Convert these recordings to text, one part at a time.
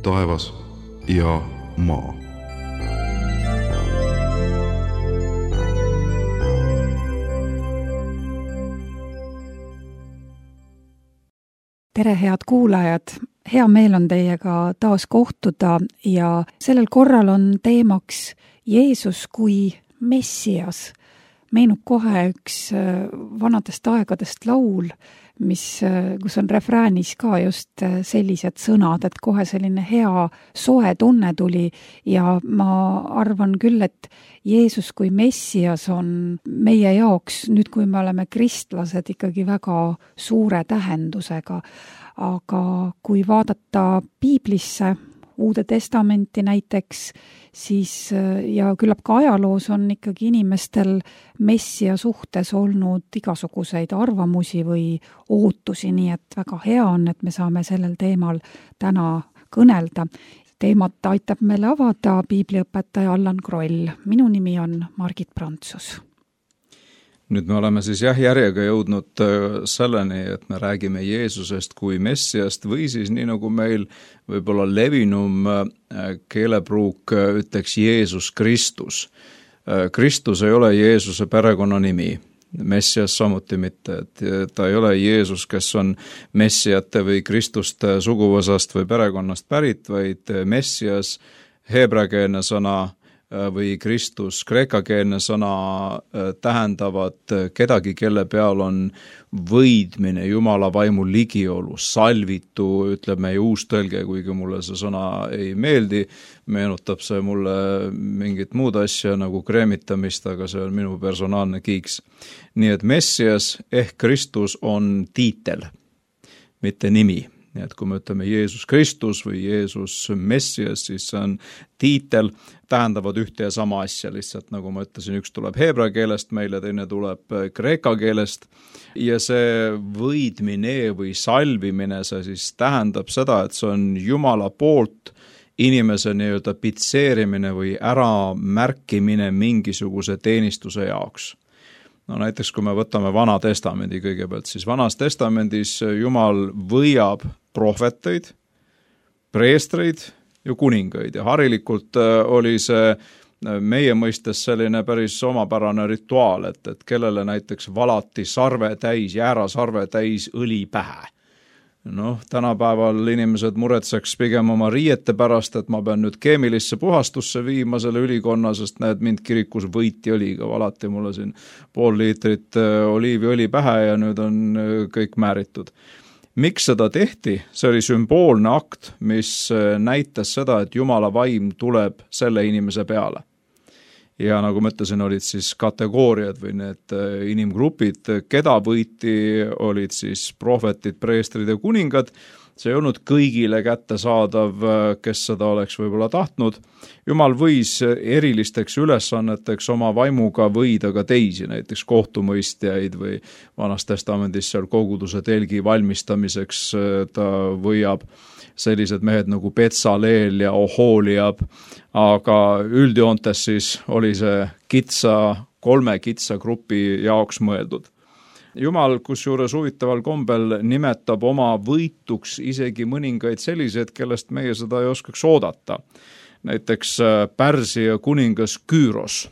taevas ja maa. Tere, head kuulajad! Hea meel on teiega taas kohtuda ja sellel korral on teemaks Jeesus kui Messias. Meenub kohe üks vanadest aegadest laul, kus on refräänis ka just sellised sõnad, et kohe selline hea soe tunne tuli ja ma arvan küll, et Jeesus kui Messias on meie jaoks, nüüd kui me oleme kristlased, ikkagi väga suure tähendusega. Aga kui vaadata Piiblisse, Uude Testamenti näiteks, siis ja küllap ka ajaloos on ikkagi inimestel Messia suhtes olnud igasuguseid arvamusi või ootusi, nii et väga hea on, et me saame sellel teemal täna kõnelda. Teemat aitab meile avada piibliõpetaja Allan Kroll. Minu nimi on Margit Prantsus. Nüüd me oleme siis järjega jõudnud selleni, et me räägime Jeesusest kui Messiast või siis nii nagu meil võib-olla levinum keelepruuk ütleks Jeesus Kristus. Kristus ei ole Jeesuse perekonnanimi, Messias samuti mitte. Et ta ei ole Jeesus, kes on messiate või Kristuste suguvõsast või perekonnast pärit, vaid Messias, heebreakeelne sõna või Kristus, kreekakeelne sõna tähendavad kedagi, kelle peal on võidmine, Jumala vaimu ligiolu, salvitu, ütleb meie uus tõlge, kuigi mulle see sõna ei meeldi, meenutab see mulle mingit muud asja nagu kreemitamist, aga see on minu personaalne kiiks. Nii et Messias ehk Kristus on tiitel, mitte nimi. Nii et kui me ütleme Jeesus Kristus või Jeesus Messias, siis see on tiitel, tähendavad ühte ja sama asja, lihtsalt nagu ma ütlesin, üks tuleb heebrea keelest meile, teine tuleb kreeka keelest ja see võidmine või salvimine, see siis tähendab seda, et see on Jumala poolt inimese nii-öelda pitseerimine või äramärkimine mingisuguse teenistuse jaoks. No näiteks kui me võtame Vana Testamendi kõigepealt, siis Vanas Testamendis Jumal võiab prohveteid, preestreid ja kuningaid ja harilikult oli see meie mõistes selline päris omapärane rituaal, et kellele näiteks valati sarve täis, jäärasarve täis õli pähe. Tänapäeval inimesed muretseks pigem oma riiete pärast, et ma pean nüüd keemilisse puhastusse viima selle ülikonna, sest näed, mind kirikus võiti õliga, valati mulle siin 0,5 liitrit oliiviõli pähe ja nüüd on kõik määritud. Miks seda tehti? See oli sümboolne akt, mis näitas seda, et Jumala vaim tuleb selle inimese peale. Ja nagu ma ütlesin, olid siis kategooriad või need inimgrupid, keda võiti, olid siis prohvetid, preestrid ja kuningad. See ei olnud kõigile kättesaadav, kes seda oleks võib-olla tahtnud. Jumal võis erilisteks ülesanneteks oma vaimuga võida ka teisi, näiteks kohtumõistjaid või Vanas Testamendis seal koguduse telgi valmistamiseks ta võiab sellised mehed nagu Betsaleel ja Oholiab, aga üldjoontes siis oli see kolme kitsa grupi jaoks mõeldud. Jumal, kusjuures huvitaval kombel nimetab oma võituks isegi mõningaid sellised, kellest meie seda ei oskaks oodata. Näiteks Pärsia kuningas Küüros.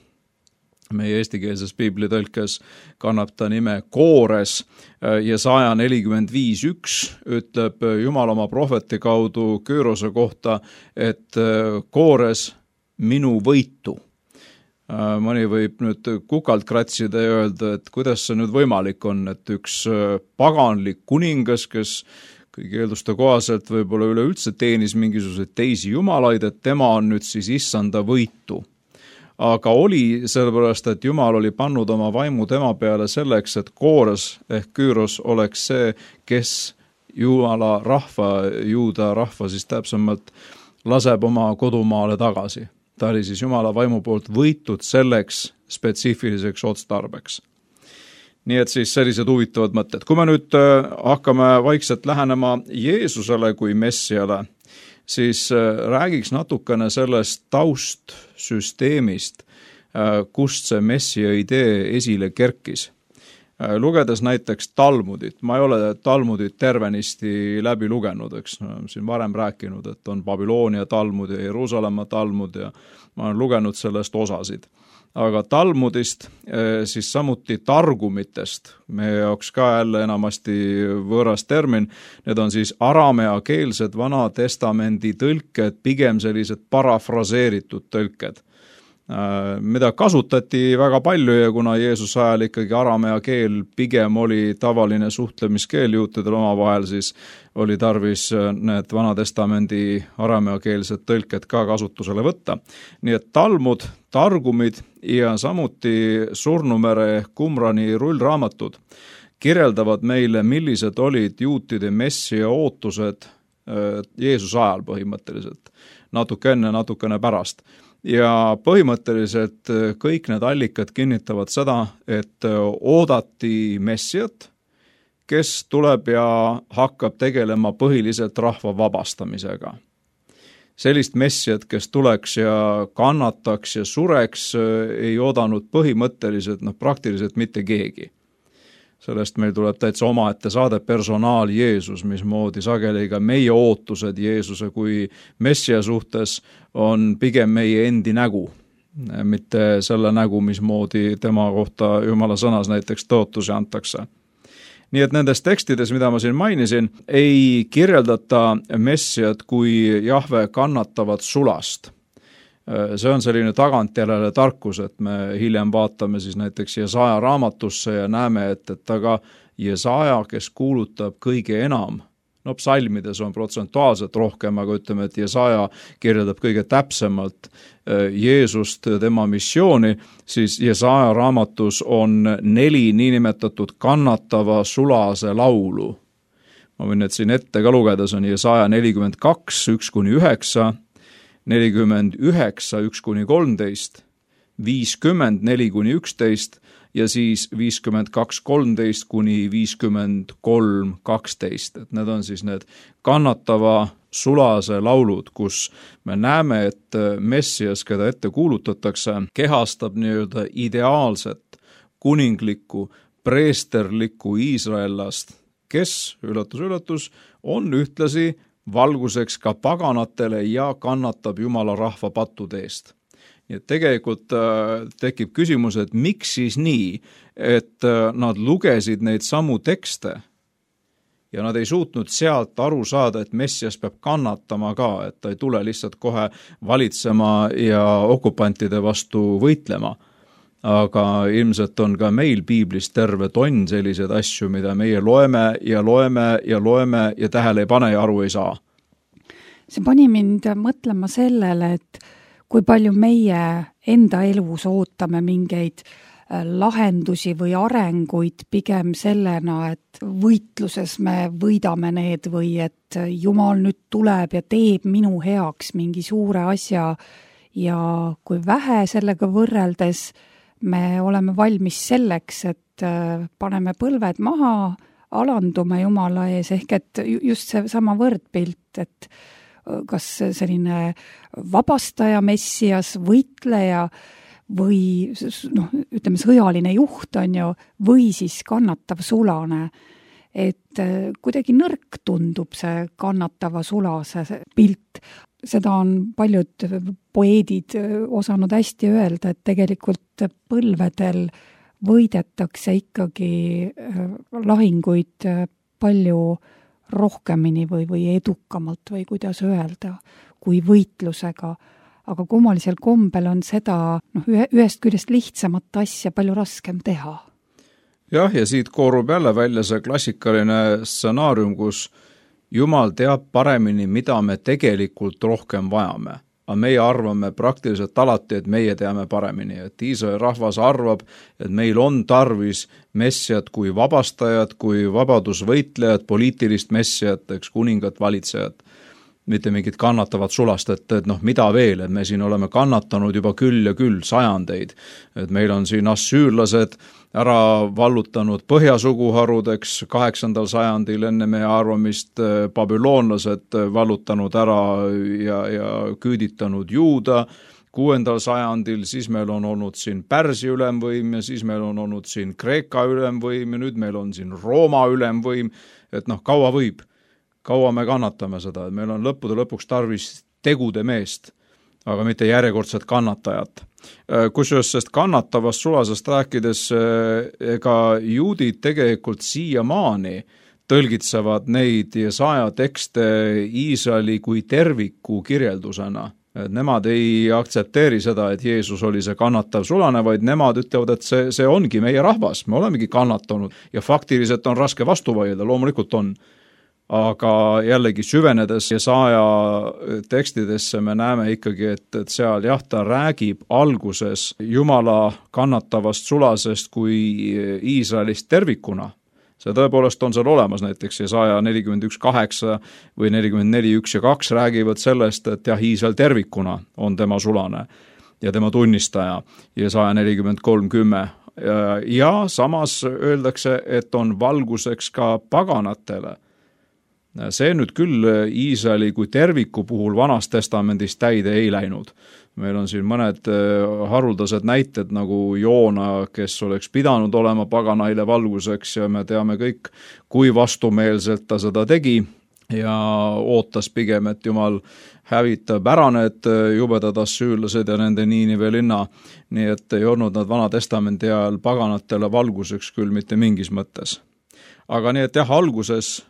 Meie eestikeelses piiblitõlkes kannab ta nime Koores ja 145.1 ütleb Jumal oma prohveti kaudu Küürose kohta, et Koores minu võitu. Mõni võib nüüd kukalt kratsida ja öelda, et kuidas see nüüd võimalik on, et üks paganlik kuningas, kes kõigi eelduste kohaselt võib-olla üleüldse teenis mingisuguseid teisi jumalaid, et tema on nüüd siis issanda võitu. Aga oli sellepärast, et Jumal oli pannud oma vaimu tema peale selleks, et Koores ehk Küüros oleks see, kes Jumala rahva, juuda rahva siis täpsemalt laseb oma kodumaale tagasi. Ta oli siis Jumala vaimu poolt võitud selleks spetsiifiliseks otstarbeks. Nii et siis sellised huvitavad mõtted. Kui me nüüd hakkame vaikselt lähenema Jeesusele kui Messiale, siis räägiks natukene sellest taustsüsteemist, kust see Messia idee esile kerkis. Lugedes näiteks Talmudit, ma ei ole Talmudit tervenisti läbi lugenud, eks siin varem rääkinud, et on Babyloonia Talmud ja Jeruusalemma Talmud ja ma olen lugenud sellest osasid. Aga Talmudist, siis samuti targumitest, meie jaoks ka jälle enamasti võõras termin, need on siis arameakeelsed Vana Testamendi tõlked, pigem sellised parafraseeritud tõlked, mida kasutati väga palju ja kuna Jeesuse ajal ikkagi aramea keel pigem oli tavaline suhtlemiskeel juutidel omavahel, siis oli tarvis need Vana Testamendi arameakeelsed tõlked ka kasutusele võtta. Nii et Talmud, targumid ja samuti Surnumere ehk Qumrani rullraamatud kirjeldavad meile, millised olid juutide messia ootused Jeesuse ajal põhimõtteliselt, natuke enne, natukene pärast. Ja põhimõtteliselt kõik need allikad kinnitavad seda, et oodati messiat, kes tuleb ja hakkab tegelema põhiliselt rahva vabastamisega. Sellist messiat, kes tuleks ja kannataks ja sureks, ei oodanud põhimõtteliselt praktiliselt mitte keegi. Sellest meil tuleb täitsa omaette saade personaal Jeesus, mismoodi sageli ka meie ootused Jeesuse kui messia suhtes on pigem meie endi nägu, mitte selle nägu, mismoodi tema kohta Jumala sõnas näiteks tõotusi antakse. Nii et nendes tekstides, mida ma siin mainisin, ei kirjeldata messiat kui Jahve kannatavat sulast. See on selline tagantjärele tarkus, et me hiljem vaatame siis näiteks Jesaja raamatusse ja näeme, et aga Jesaja, kes kuulutab kõige enam, psalmides on protsentuaalselt rohkem, aga ütleme, et Jesaja kirjeldab kõige täpsemalt Jeesust, tema missiooni, siis Jesaja raamatus on 4 niinimetatud kannatava sulase laulu. Ma võin need siin ette ka lugeda, see on Jesaja 42, 1-9, 49, 1-13, 50, 4-11 ja siis 52, 13 kuni 53, 12. Et need on siis need kannatava sulase laulud, kus me näeme, et messias, keda ette kuulutatakse, kehastab nii-öelda ideaalset, kuninglikku, preesterlikku iisraellast, kes, üllatus, on ühtlasi valguseks ka paganatele ja kannatab Jumala rahva pattude eest. Nii et tegelikult tekib küsimus, et miks siis nii, et nad lugesid neid samu tekste ja nad ei suutnud sealt aru saada, et messias peab kannatama ka, et ta ei tule lihtsalt kohe valitsema ja okupantide vastu võitlema. Aga ilmselt on ka meil piiblis terve tonn selliseid asju, mida meie loeme ja tähele ei pane ja aru ei saa. See pani mind mõtlema sellele, et kui palju meie enda elus ootame mingeid lahendusi või arenguid pigem sellena, et võitluses me võidame need või et Jumal nüüd tuleb ja teeb minu heaks mingi suure asja ja kui vähe sellega võrreldes me oleme valmis selleks, et paneme põlved maha, alandume Jumala ees, ehk et just see sama võrdpilt, et kas selline vabastaja messias, võitleja või ütleme sõjaline juht on ju, või siis kannatav sulane. Et kuidagi nõrk tundub see kannatava sulase pilt. Seda on paljud poeedid osanud hästi öelda, et tegelikult põlvedel võidetakse ikkagi lahinguid palju rohkemini või edukamalt või kuidas öelda, kui võitlusega. Aga kummalisel kombel on seda ühest küljest lihtsamat asja palju raskem teha. Jah, ja siit koorub jälle välja see klassikaline stsenaarium, kus Jumal teab paremini, mida me tegelikult rohkem vajame. Aga meie arvame praktiliselt alati, et meie teame paremini. Et Iisraeli rahvas arvab, et meil on tarvis messiat kui vabastajat, kui vabadusvõitlejat, poliitilist messiat, eks kuningat valitsejat. Mitte mingit kannatavat sulast, et mida veel, et me siin oleme kannatanud juba küll ja küll sajandeid. Et meil on siin assüürlased ära vallutanud põhjasuguharudeks 8. sajandil enne meie arvamist, babüloonlased vallutanud ära ja küüditanud juuda, 6. sajandil, siis meil on olnud siin Pärsia ülemvõim ja siis meil on olnud siin Kreeka ülemvõim ja nüüd meil on siin Rooma ülemvõim, et kaua võib, kaua me kannatame seda, et meil on lõppude lõpuks tarvis tegude meest, aga mitte järjekordset kannatajat. Kusjuures sest kannatavast sulasest rääkides, ega juudid tegelikult siiamaani tõlgitsevad neid Jesaja tekste Iisraeli kui terviku kirjeldusena. Nemad ei aktsepteeri seda, et Jeesus oli see kannatav sulane, vaid nemad ütlevad, et see ongi meie rahvas, me olemegi kannatanud ja faktiliselt on raske vastu vaielda, loomulikult on. Aga jällegi süvenedes Jesaja tekstidesse me näeme ikkagi, et seal ta räägib alguses Jumala kannatavast sulasest kui Iisraelist tervikuna. See tõepoolest on seal olemas, näiteks Jesaja 41:8 või 44:1-2 räägivad sellest, et Iisrael tervikuna on tema sulane ja tema tunnistaja, Jesaja 43:10. Ja samas öeldakse, et on valguseks ka paganatele. See nüüd küll Iisraeli kui terviku puhul Vanast testamendist täide ei läinud. Meil on siin mõned haruldased näited nagu Joona, kes oleks pidanud olema paganaile valguseks ja me teame kõik, kui vastumeelselt ta seda tegi ja ootas pigem, et Jumal hävitab ära need jubedad assüürlased ja nende Niinive linna, nii et ei olnud nad Vana testamendi ajal paganatele valguseks küll mitte mingis mõttes. Aga nii, et alguses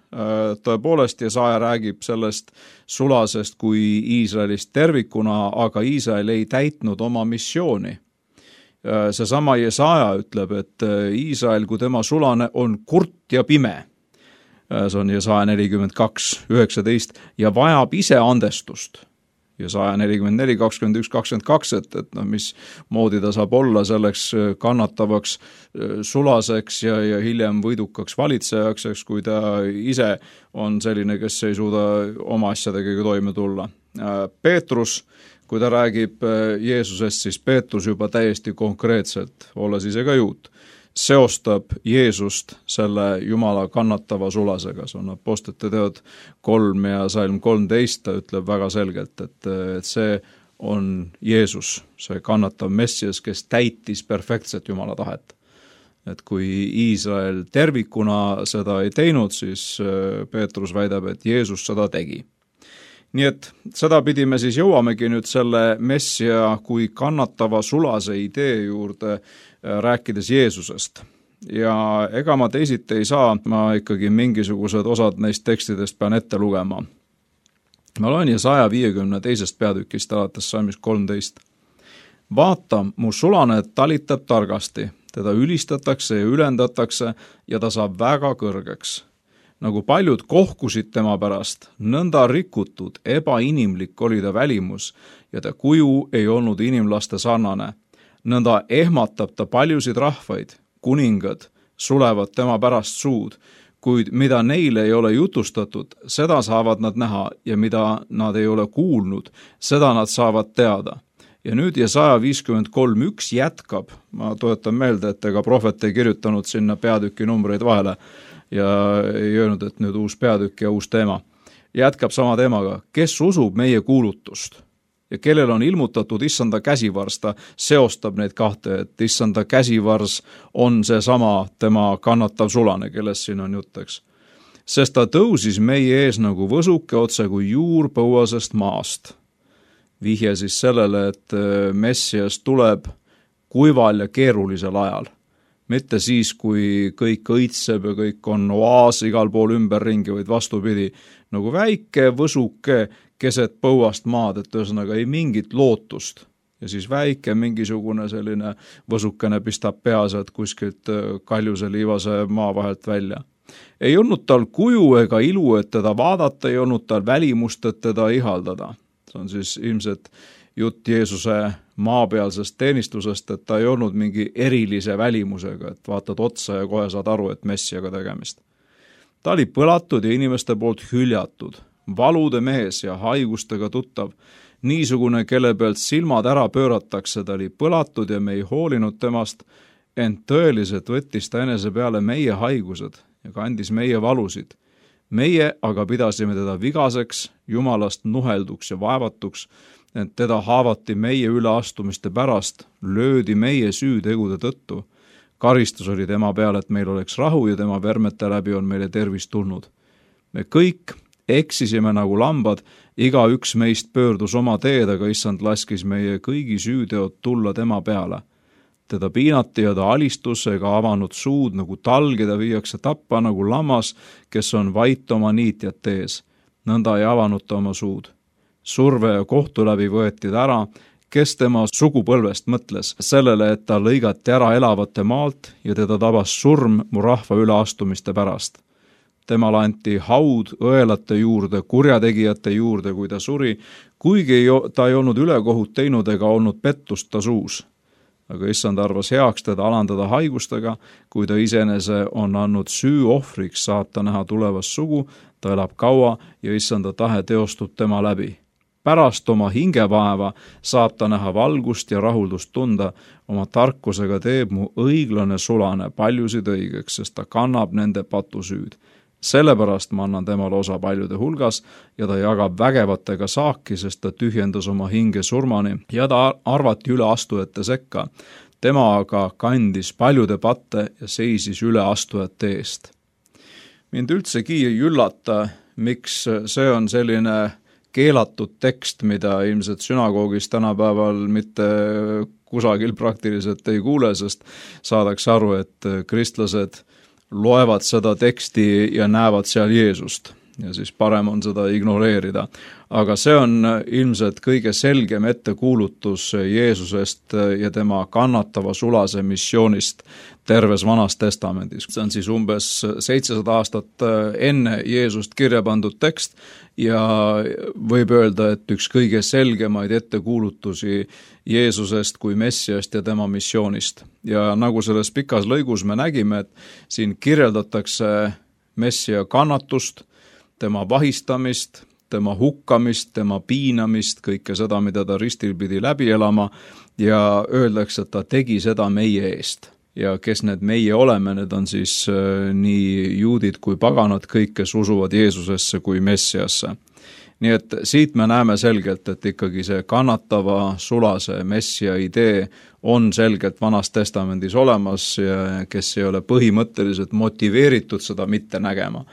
tõepoolest Jesaja räägib sellest sulasest kui Iisraelist tervikuna, aga Iisrael ei täitnud oma missiooni. Seesama Jesaja ütleb, et Iisrael kui tema sulane on kurt ja pime. See on Jesaja 42:19 ja vajab ise andestust. Jesaja 44, 21, 22, et mismoodi ta saab olla selleks kannatavaks sulaseks ja hiljem võidukaks valitsejaks, kui ta ise on selline, kes ei suuda oma asjadega toime tulla. Peetrus, kui ta räägib Jeesusest, siis Peetrus juba täiesti konkreetselt, olles ise ka juut, seostab Jeesust selle Jumala kannatava sulasega. See on Apostlite teod 3 ja Salm 13, ta ütleb väga selgelt, et see on Jeesus, see kannatav Messias, kes täitis perfektset Jumala tahet. Et kui Iisrael tervikuna seda ei teinud, siis Peetrus väidab, et Jeesus seda tegi. Nii et seda pidi me siis jõuamegi nüüd selle Messia kui kannatava sulase idee juurde, rääkides Jeesusest. Ja ega ma teisiti ei saa, ma ikkagi mingisugused osad neist tekstidest pean ette lugema. Ma loen Jesaja 52. peatükist alates salmist 13. Vaata, mu sulane talitab targasti, teda ülistatakse ja ülendatakse ja ta saab väga kõrgeks. Nagu paljud kohkusid tema pärast, nõnda rikutud, ebainimlik oli ta välimus ja ta kuju ei olnud inimlaste sarnane. Nõnda ehmatab ta paljusid rahvaid, kuningad sulevad tema pärast suud, kuid mida neile ei ole jutustatud, seda saavad nad näha ja mida nad ei ole kuulnud, seda nad saavad teada. Ja nüüd Jesaja 53:1 jätkab, ma tuletan meelde, et ega prohvet ei kirjutanud sinna peatüki numbreid vahele ja ei öelnud, et nüüd uus peatükk ja uus teema. Jätkab sama teemaga, kes usub meie kuulutust ja kellel on ilmutatud issanda käsivars, ta seostab neid kahte, et issanda käsivars on seesama tema kannatav sulane, kellest siin on jutteks. Sest ta tõusis meie ees nagu võsuke otse kui juur põuasest maast. Vihje siis sellele, et Messias tuleb kuival ja keerulisel ajal. Mitte siis, kui kõik õitseb ja kõik on oaas igal pool ümberringi, vaid vastupidi, nagu väike võsuke keset põuast maad, et ühesõnaga ei mingit lootust. Ja siis väike mingisugune selline võsukene pistab pea sealt kuskilt kaljuse liivase maa vahelt välja. Ei olnud tal kuju ega ilu, et teda vaadata, ei olnud tal välimust, et teda ihaldada. See on siis ilmselt jutt Jeesuse maapealsest teenistusest, et ta ei olnud mingi erilise välimusega, et vaatad otsa ja kohe saad aru, et Messiaga tegemist. Ta oli põlatud ja inimeste poolt hüljatud, valude mees ja haigustega tuttav, niisugune, kelle pealt silmad ära pööratakse, ta oli põlatud ja me ei hoolinud temast, ent tõeliselt võttis ta enese peale meie haigused ja kandis meie valusid. Meie aga pidasime teda vigaseks, Jumalast nuhelduks ja vaevatuks, et teda haavati meie üleastumiste pärast, löödi meie süütegude tõttu. Karistus oli tema peal, et meil oleks rahu ja tema vermete läbi on meile tervis tulnud. Me kõik eksisime nagu lambad, igaüks meist pöördus oma teed, aga issand laskis meie kõigi süüteod tulla tema peale. Teda piinati ja ta alistus ega avanud suud nagu talg, keda viiakse tappa nagu lammas, kes on vait oma niitjate ees. Nõnda ei avanud ta oma suud. Surve ja kohtu läbi võeti ta ära, kes tema sugupõlvest mõtles sellele, et ta lõigati ära elavate maalt ja teda tabas surm mu rahva üleastumiste pärast. Temale anti haud õelate juurde, kurjategijate juurde, kui ta suri, kuigi ta ei olnud ülekohut teinud ega olnud pettust ta suus. Aga issand arvas heaks teda alandada haigustega, kui ta iseenese on andnud süü ohvriks, saab ta näha tulevast sugu, ta elab kaua ja issanda tahe teostub tema läbi. Pärast oma hingevaeva saab ta näha valgust ja rahuldust tunda, oma tarkusega teeb mu õiglane sulane paljusid õigeks, sest ta kannab nende patusüüd. Sellepärast ma annan temale osa paljude hulgas ja ta jagab vägevatega saaki, sest ta tühjendas oma hinge surmani ja ta arvati üleastujate sekka. Tema aga kandis paljude patte ja seisis üleastujate eest. Mind üldsegi ei üllata, miks see on selline keelatud tekst, mida ilmselt sünagoogis tänapäeval mitte kusagil praktiliselt ei kuule, sest saadakse aru, et kristlased loevad seda teksti ja näevad seal Jeesust ja siis parem on seda ignoreerida. Aga see on ilmselt kõige selgem ettekuulutus Jeesusest ja tema kannatava sulase missioonist terves Vanas Testamendis. See on siis umbes 700 aastat enne Jeesust kirja pandud tekst ja võib öelda, et üks kõige selgemaid ettekuulutusi Jeesusest kui Messiast ja tema missioonist. Ja nagu selles pikas lõigus me nägime, et siin kirjeldatakse Messia kannatust, tema vahistamist, tema hukkamist, tema piinamist, kõike seda, mida ta ristil pidi läbi elama ja öeldakse, et ta tegi seda meie eest. Ja kes need meie oleme, need on siis nii juudid kui paganad, kõik, kes usuvad Jeesusesse kui Messiasse. Nii et siit me näeme selgelt, et ikkagi see kannatava sulase Messia idee on selgelt Vanas Testamendis olemas ja kes ei ole põhimõtteliselt motiveeritud seda mitte nägema,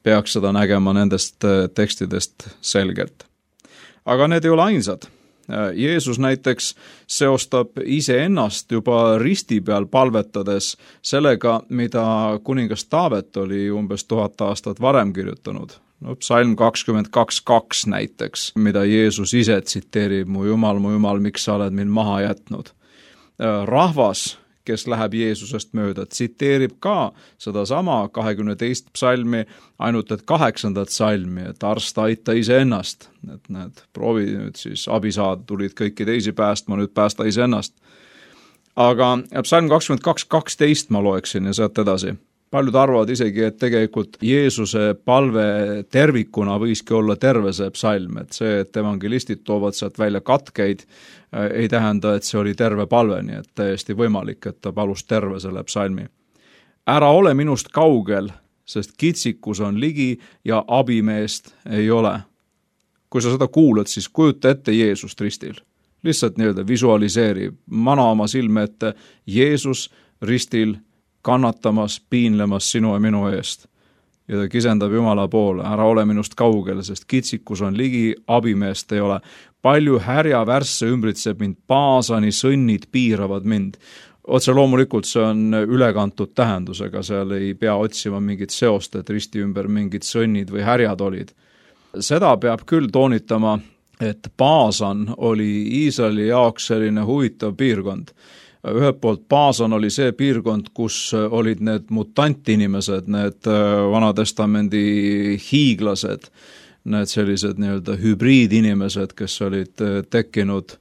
peaks seda nägema nendest tekstidest selgelt. Aga need ei ole ainsad. Jeesus näiteks seostab iseennast juba risti peal palvetades sellega, mida kuningas Taavet oli umbes 1000 aastat varem kirjutanud. Psalm 22:2 näiteks, mida Jeesus ise tsiteerib, mu Jumal, miks sa oled mind maha jätnud. Rahvas, kes läheb Jeesusest mööda, tsiteerib ka sedasama 22. psalmi, ainult et 8. psalmi, et arsta aita iseennast. Et need proovi nüüd siis abi saada, tulid kõiki teisi päästma, nüüd päästa iseennast. Aga psalm 22:12 ma loeksin ja sealt edasi. Paljud arvavad isegi, et tegelikult Jeesuse palve tervikuna võiski olla terve see psalm, et see, et evangelistid toovad sealt välja katkeid, ei tähenda, et see oli terve palve, nii et täiesti võimalik, et ta palus terve selle psalmi. Ära ole minust kaugel, sest kitsikus on ligi ja abimeest ei ole. Kui sa seda kuulad, siis kujuta ette Jeesust ristil. Lihtsalt nii-öelda visualiseeri, mana oma silme ette Jeesus ristil kannatamas, piinlemas sinu ja minu eest. Ja ta kisendab Jumala poole, ära ole minust kaugel, sest kitsikus on ligi, abimeest ei ole. Palju härja värsse ümbritseb mind, paasani sõnnid piiravad mind. Otse loomulikult see on ülekantud tähendusega, seal ei pea otsima mingit seost, et risti ümber mingid sõnnid või härjad olid. Seda peab küll toonitama, et Paasan oli Iisraeli jaoks selline huvitav piirkond. Ühelt poolt Paasan oli see piirkond, kus olid need mutantinimesed, need Vanatestamendi hiiglased, need sellised nii-öelda hübriidinimesed, kes olid tekkinud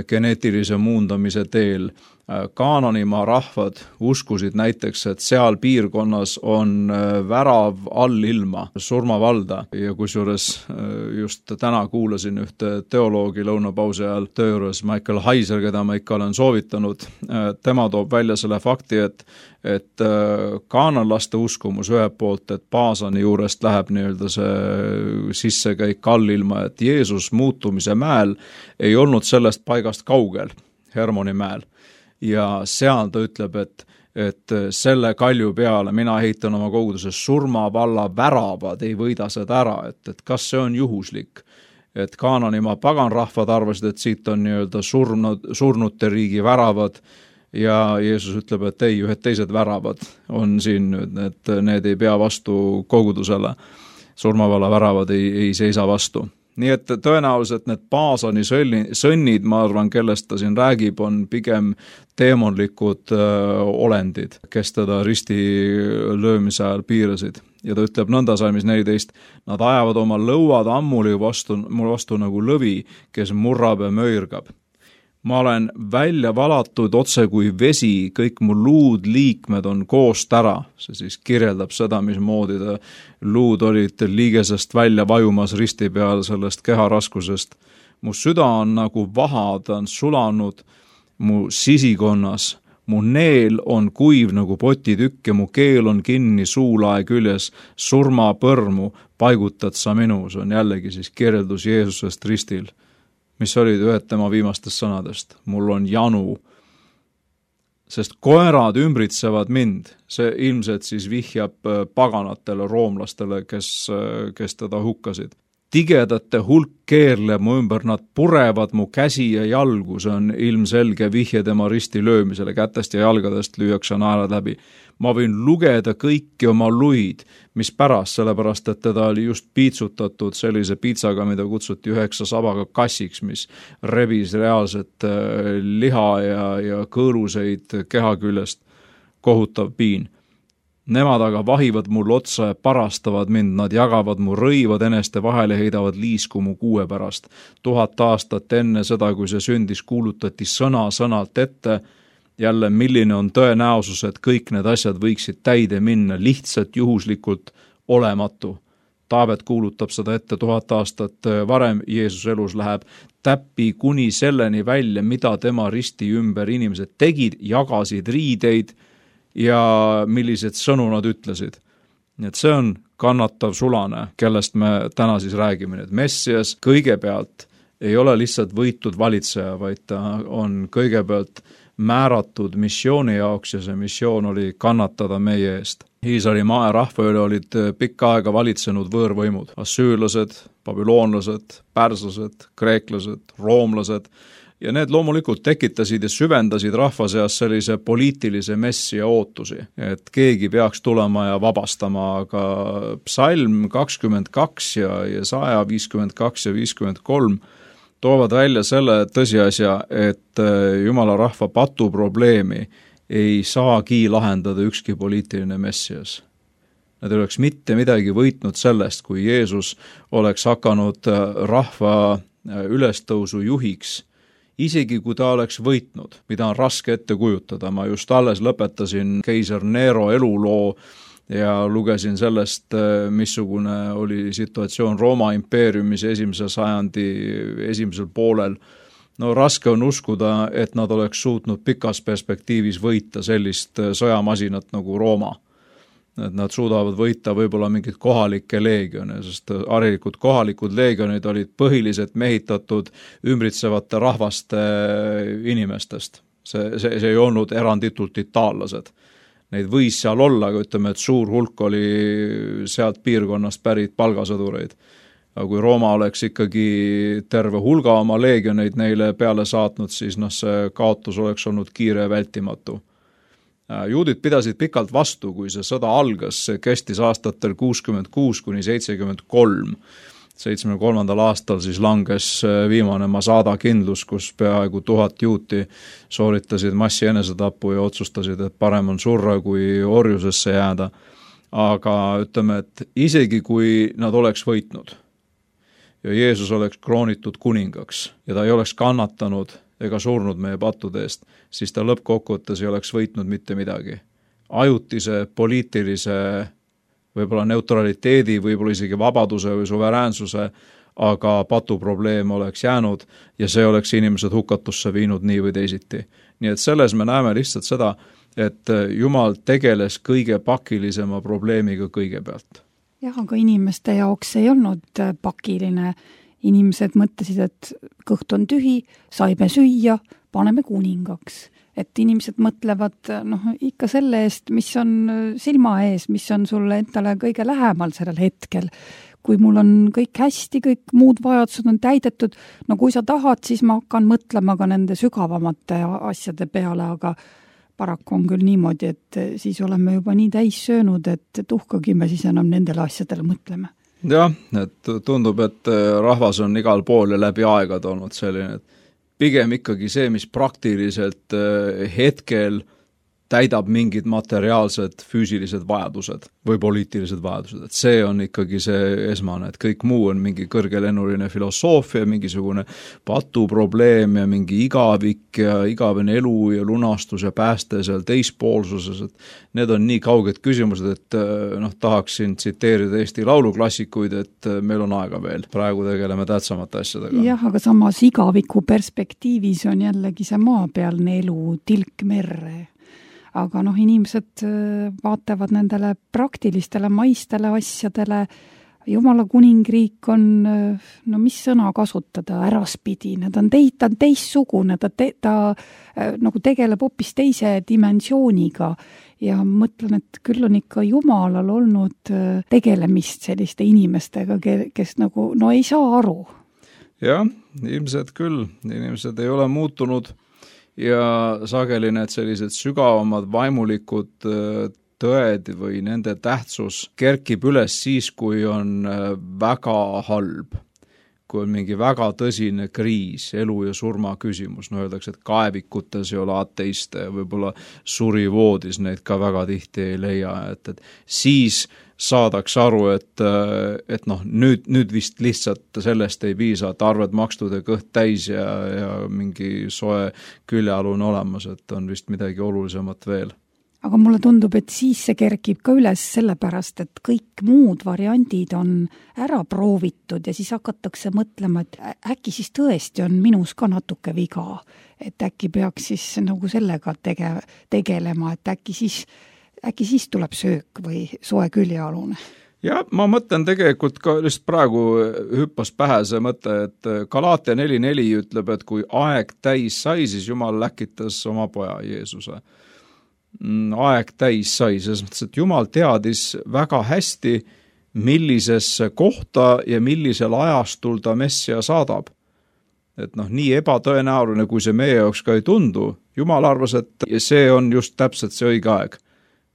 geneetilise muundamise teel. Kaananimaa rahvad uskusid näiteks, et seal piirkonnas on värav allilma, surmavalda ja kusjuures just täna kuulasin ühte teoloogi lõunapausi ajal töö juures, Michael Heiser, keda ma ikka olen soovitanud, tema toob välja selle fakti, et kaananlaste uskumus ühelt poolt, et Paasani juurest läheb nii-öelda see sissekäik allilma, et Jeesus muutumise mäel ei olnud sellest paigast kaugel, Hermoni mäel. Ja seal ta ütleb, et selle kalju peale mina ehitan oma koguduses surmavalla väravad, ei võida seda ära, et kas see on juhuslik, et Kaananimaa paganrahvad arvasid, et siit on nii-öelda surnute riigi väravad ja Jeesus ütleb, et ei, ühed teised väravad on siin nüüd, et need ei pea vastu kogudusele, surmavalla väravad ei seisa vastu. Nii et tõenäoliselt need Paasani sõnnid, ma arvan, kellest ta siin räägib, on pigem teemonlikud olendid, kes teda risti löömise ajal piirasid. Ja ta ütleb nõnda salmis 14, nad ajavad oma lõuad ammuli mul vastu nagu lõvi, kes murrab ja möirgab. Ma olen välja valatud otse kui vesi, kõik mu luud liikmed on koost ära. See siis kirjeldab seda, mismoodi luud olid liigesest välja vajumas risti peal sellest keharaskusest. Mu süda on nagu vaha, ta on sulanud mu sisikonnas. Mu neel on kuiv nagu potitükk ja mu keel on kinni suulae küljes. Surma põrmu paigutad sa minu. See on jällegi siis kirjeldus Jeesusest ristil, mis olid ühed tema viimastest sõnadest. Mul on janu, sest koerad ümbritsevad mind. See ilmselt siis vihjab paganatele, roomlastele, kes teda hukkasid. Tigedate hulk keerleb mu ümber, nad purevad mu käsi ja jalgu, see on ilmselge vihje tema risti löömisele, kätest ja jalgadest lüüakse naelad läbi. Ma võin lugeda kõiki oma luid, mis pärast, sellepärast, et teda oli just piitsutatud sellise piitsaga, mida kutsuti 9 sabaga kassiks, mis rebis reaalset liha ja kõõluseid keha küljest, kohutav piin. Nemad aga vahivad mul otsa ja parastavad mind, nad jagavad mu rõivad eneste vahel ja heidavad liisku mu kuue pärast. 1000 aastat enne seda, kui see sündis, kuulutati sõnalt ette. Jälle, milline on tõenäosus, et kõik need asjad võiksid täide minna, lihtsalt juhuslikult olematu. Taavet kuulutab seda ette 1000 aastat varem, Jeesus elus läheb täppi kuni selleni välja, mida tema risti ümber inimesed tegid, jagasid riideid ja millised sõnu nad ütlesid. Nii et see on kannatav sulane, kellest me täna siis räägime. Et Messias kõigepealt ei ole lihtsalt võitud valitseja, vaid ta on kõigepealt määratud missiooni jaoks ja see missioon oli kannatada meie eest. Iisraeli rahva üle olid pikka aega valitsenud võõrvõimud, assüürlased, babüloonlased, pärslased, kreeklased, roomlased ja need loomulikult tekitasid ja süvendasid rahva seas sellise poliitilise messia ootusi, et keegi peaks tulema ja vabastama, aga psalm 22 ja Jesaja 52 ja 53 toovad välja selle tõsiasja, et Jumala rahva patuprobleemi ei saagi lahendada ükski poliitiline messias. Nad ei oleks mitte midagi võitnud sellest, kui Jeesus oleks hakanud rahva ülestõusu juhiks, isegi kui ta oleks võitnud, mida on raske ette kujutada. Ma just alles lõpetasin keiser Nero eluloo ja lugesin sellest, missugune oli situatsioon Rooma impeeriumis 1. sajandi esimesel poolel. No raske on uskuda, et nad oleks suutnud pikas perspektiivis võita sellist sõjamasinat nagu Rooma. Et nad suudavad võita võib-olla mingid kohalikke leegione, sest kohalikud leegionid olid põhiliselt mehitatud ümbritsevate rahvaste inimestest. See ei olnud eranditult itaallased. Neid võis seal olla, aga ütleme, et suur hulk oli sealt piirkonnast pärit palgasõdureid. Aga kui Rooma oleks ikkagi terve hulga oma leegioneid neile peale saatnud, siis see kaotus oleks olnud kiire ja vältimatu. Juudid pidasid pikalt vastu, kui see sõda algas, see kestis aastatel 66 kuni 73. 73. aastal siis langes viimane Masada kindlus, kus peaaegu 1000 juuti sooritasid massi enesetapu ja otsustasid, et parem on surra kui orjusesse jääda. Aga ütleme, et isegi kui nad oleks võitnud ja Jeesus oleks kroonitud kuningaks ja ta ei oleks kannatanud ega surnud meie pattude eest, siis ta lõppkokkuvõttes ei oleks võitnud mitte midagi. Ajutise, poliitilise, võib-olla neutraliteedi, võib-olla isegi vabaduse või suveräänsuse, aga patuprobleem oleks jäänud ja see oleks inimesed hukatusse viinud nii või teisiti. Nii et selles me näeme lihtsalt seda, et Jumal tegeles kõige pakilisema probleemiga kõigepealt. Jah, aga inimeste jaoks ei olnud pakiline. Inimesed mõtlesid, et kõht on tühi, saime süüa, paneme kuningaks. Et inimesed mõtlevad ikka selle eest, mis on silma ees, mis on sulle endale kõige lähemal sellel hetkel. Kui mul on kõik hästi, kõik muud vajadused on täidetud, kui sa tahad, siis ma hakkan mõtlema ka nende sügavamate asjade peale, aga paraku on küll niimoodi, et siis oleme juba nii täis söönud, et tuhkagi me siis enam nendele asjadele mõtleme. Jah, et tundub, et rahvas on igal pool ja läbi aegad olnud selline, et pigem ikkagi see, mis praktiliselt hetkel täidab mingid materiaalsed, füüsilised vajadused või poliitilised vajadused. Et see on ikkagi see esmane, et kõik muu on mingi kõrgelennuline filosoofia, mingisugune patuprobleem ja mingi igavik ja igavene elu ja lunastus ja pääste seal teispoolsuses. Et need on nii kauged küsimused, et tahaksin tsiteerida Eesti lauluklassikuid, et meil on aega veel. Praegu tegeleme tähtsamate asjadega. Jah, aga samas igaviku perspektiivis on jällegi see maapealne elu tilk merre. Aga inimesed vaatavad nendele praktilistele maistele asjadele. Jumala kuningriik on, mis sõna kasutada, äraspidine, ta on teissugune, ta nagu tegeleb hoopis teise dimensiooniga ja mõtlen, et küll on ikka Jumalal olnud tegelemist selliste inimestega, kes ei saa aru. Jah, ilmselt küll, inimesed ei ole muutunud ja sageli need sellised sügavamad vaimulikud tõed või nende tähtsus kerkib üles siis, kui on väga halb, kui on mingi väga tõsine kriis, elu ja surma küsimus. Öeldakse, et kaevikutes ei ole ateiste ja võib-olla surivoodis neid ka väga tihti ei leia, et siis saadaks aru, et nüüd vist lihtsalt sellest ei piisa, et arved makstud ja kõht täis ja mingi soe küljealune olemas, et on vist midagi olulisemat veel. Aga mulle tundub, et siis see kerkib ka üles sellepärast, et kõik muud variandid on ära proovitud ja siis hakatakse mõtlema, et äkki siis tõesti on minus ka natuke viga, et äkki peaks siis sellega tegelema, et äkki siis tuleb söök või soe küljealune. Ja ma mõtlen tegelikult ka lihtsalt praegu hüppas pähe see mõte, et Galaatia 4.4 ütleb, et kui aeg täis sai, siis Jumal läkitas oma poja Jeesuse. Aeg täis sai, selles mõttes, et Jumal teadis väga hästi, millisesse kohta ja millisel ajastul ta messia saadab. Et nii ebatõenäoline, kui see meie jaoks ka ei tundu, Jumal arvas, et see on just täpselt see õige aeg.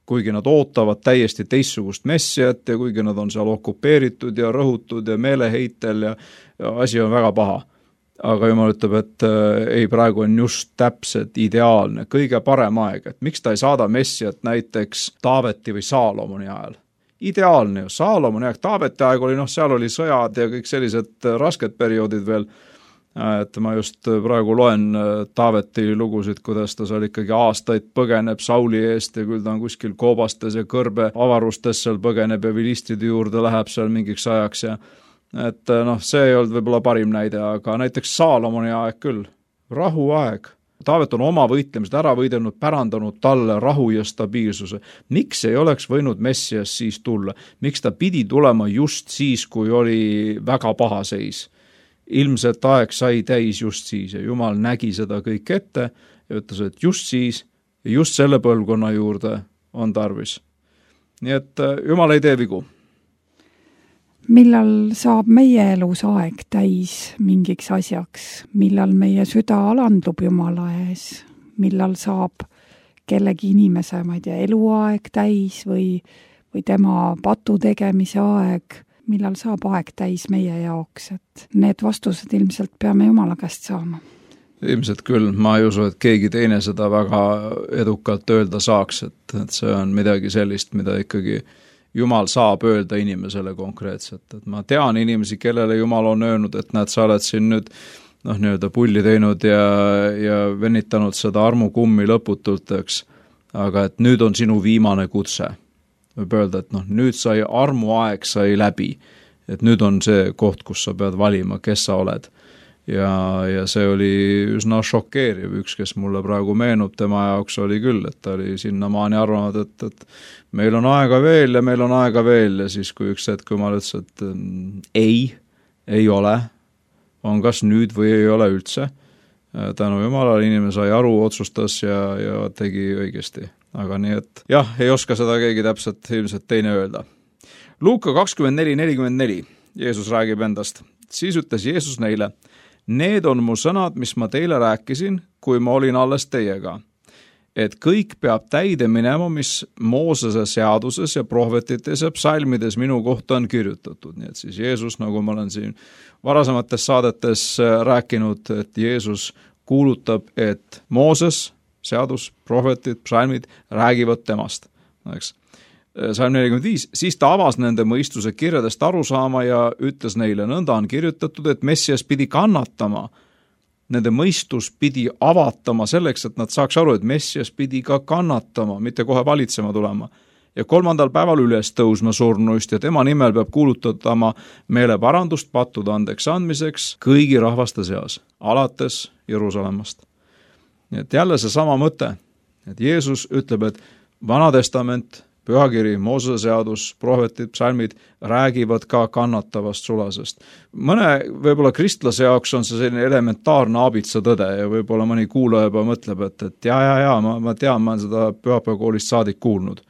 Kuigi nad ootavad täiesti teistsugust messiat ja kuigi nad on seal okupeeritud ja rõhutud ja meeleheitel ja asi on väga paha. Aga Jumal ütleb, et ei, praegu on just täpselt ideaalne, kõige parem aeg, et miks ta ei saada messiat näiteks Taaveti või Saalomoni ajal. Ideaalne ju, Saalomoni aeg, Taaveti aeg oli, seal oli sõjad ja kõik sellised rasked perioodid veel, et ma just praegu loen Taaveti lugusid, kuidas ta seal ikkagi aastaid põgeneb Sauli eest ja küll ta on kuskil koobastes ja kõrbe avarustes seal põgeneb ja vilistide juurde läheb seal mingiks ajaks ja et see ei olnud võib-olla parim näide, aga näiteks Saalomoni aeg küll, rahuaeg. Taavet on oma võitlemised ära võidelnud, pärandanud talle rahu ja stabiilsuse. Miks ei oleks võinud messias siis tulla? Miks ta pidi tulema just siis, kui oli väga paha seis? Ilmselt aeg sai täis just siis ja Jumal nägi seda kõik ette ja ütles, et just siis ja just selle põlvkonna juurde on tarvis. Nii et Jumal ei tee vigu. Millal saab meie elus aeg täis mingiks asjaks, millal meie süda alandub Jumala ees, millal saab kellegi inimese, eluaeg täis või tema patu tegemise aeg, millal saab aeg täis meie jaoks, et need vastused ilmselt peame Jumala käest saama. Ilmselt küll, ma ei usu, et keegi teine seda väga edukalt öelda saaks, et see on midagi sellist, mida ikkagi Jumal saab öelda inimesele konkreetselt, et ma tean inimesi, kellele Jumal on öelnud, et sa oled siin nüüd nii-öelda pulli teinud ja venitanud seda armukummi lõputult, eks. Aga et nüüd on sinu viimane kutse. Võib öelda, et nüüd sai armuaeg sai läbi. Et nüüd on see koht, kus sa pead valima, kes sa oled. Ja see oli üsna šokeeriv, üks, kes mulle praegu meenub, tema jaoks oli küll, et ta oli sinnamaani arvanud, et meil on aega veel ja meil on aega veel ja siis kui üks hetk, kui ma ütlesin, et ei ole, on kas nüüd või ei ole üldse. Tänu Jumalale inimene sai aru, otsustas ja tegi õigesti. Aga nii, et jah, ei oska seda keegi täpselt ilmselt teine öelda. Luuka 24:44, Jeesus räägib endast. Siis ütles Jeesus neile, need on mu sõnad, mis ma teile rääkisin, kui ma olin alles teiega. Et kõik peab täide minema, mis Moosese seaduses ja prohvetites ja psalmides minu kohta on kirjutatud. Nii et siis Jeesus, nagu ma olen siin varasemates saadetes rääkinud, et Jeesus kuulutab, et Mooses, seadus, prohvetid, psalmid räägivad temast. Eks? Salm 45, siis ta avas nende mõistuse kirjadest aru saama ja ütles neile, nõnda on kirjutatud, et Messias pidi kannatama. Nende mõistus pidi avatama selleks, et nad saaks aru, et Messias pidi ka kannatama, mitte kohe valitsema tulema. Ja 3. päeval üles tõusma surnuist ja tema nimel peab kuulutatama meeleparandust pattude andeks andmiseks kõigi rahvaste seas, alates Jeruusalemmast. Nii et jälle see sama mõte, et Jeesus ütleb, et Vana Testament, Pühakiri, Moosese seadus, prohvetid, psalmid räägivad ka kannatavast sulasest. Mõne võib-olla kristlase jaoks on see selline elementaarne abitsa tõde ja võib-olla mõni kuulaja juba mõtleb, et ma tean, ma olen seda pühapäevakoolist saadik kuulnud.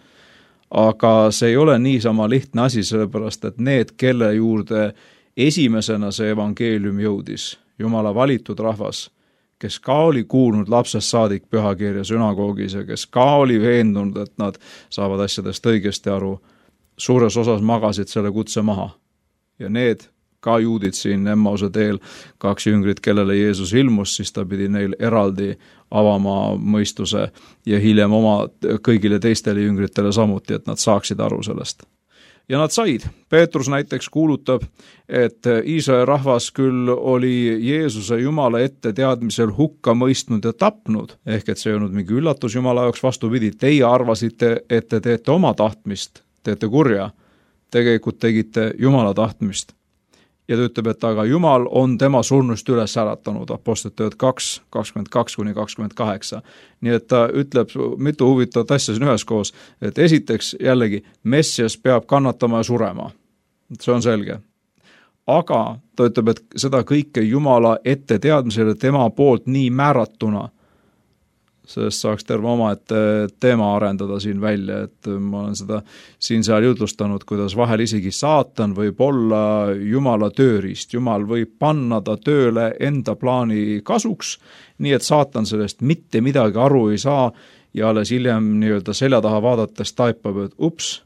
Aga see ei ole niisama lihtne asi, sellepärast et need, kelle juurde esimesena see evangeelium jõudis, Jumala valitud rahvas, kes ka oli kuulnud lapsest saadik pühakirja sünagoogis ja kes ka oli veendunud, et nad saavad asjadest õigesti aru, suures osas magasid selle kutse maha. Ja need ka juudid siin Emmause teel, 2 jüngrit, kellele Jeesus ilmus, siis ta pidi neil eraldi avama mõistuse ja hiljem oma kõigile teistele jüngritele samuti, et nad saaksid aru sellest. Ja nad said. Peetrus näiteks kuulutab, et Iisraeli rahvas küll oli Jeesuse Jumala ette teadmisel hukka mõistnud ja tapnud, ehk et see ei olnud mingi üllatus Jumala jaoks, vastupidi, teie arvasite, et te teete oma tahtmist, teete kurja, tegelikult tegite Jumala tahtmist. Ja ta ütleb, et aga Jumal on tema surnust üles äratanud, Apostlite tööd 2, 22-28. Nii et ta ütleb mitu huvitavat asja siin üheskoos, et esiteks jällegi Messias peab kannatama ja surema. See on selge. Aga ta ütleb, et seda kõike Jumala ette teadmisele tema poolt nii määratuna, sellest saaks terve omaette teema arendada siin välja, et ma olen seda siin-seal jutlustanud, kuidas vahel isegi saatan võib olla Jumala tööriist. Jumal võib panna ta tööle enda plaani kasuks, nii et saatan sellest mitte midagi aru ei saa ja alles hiljem nii-öelda selja taha vaadates taipab, et ups,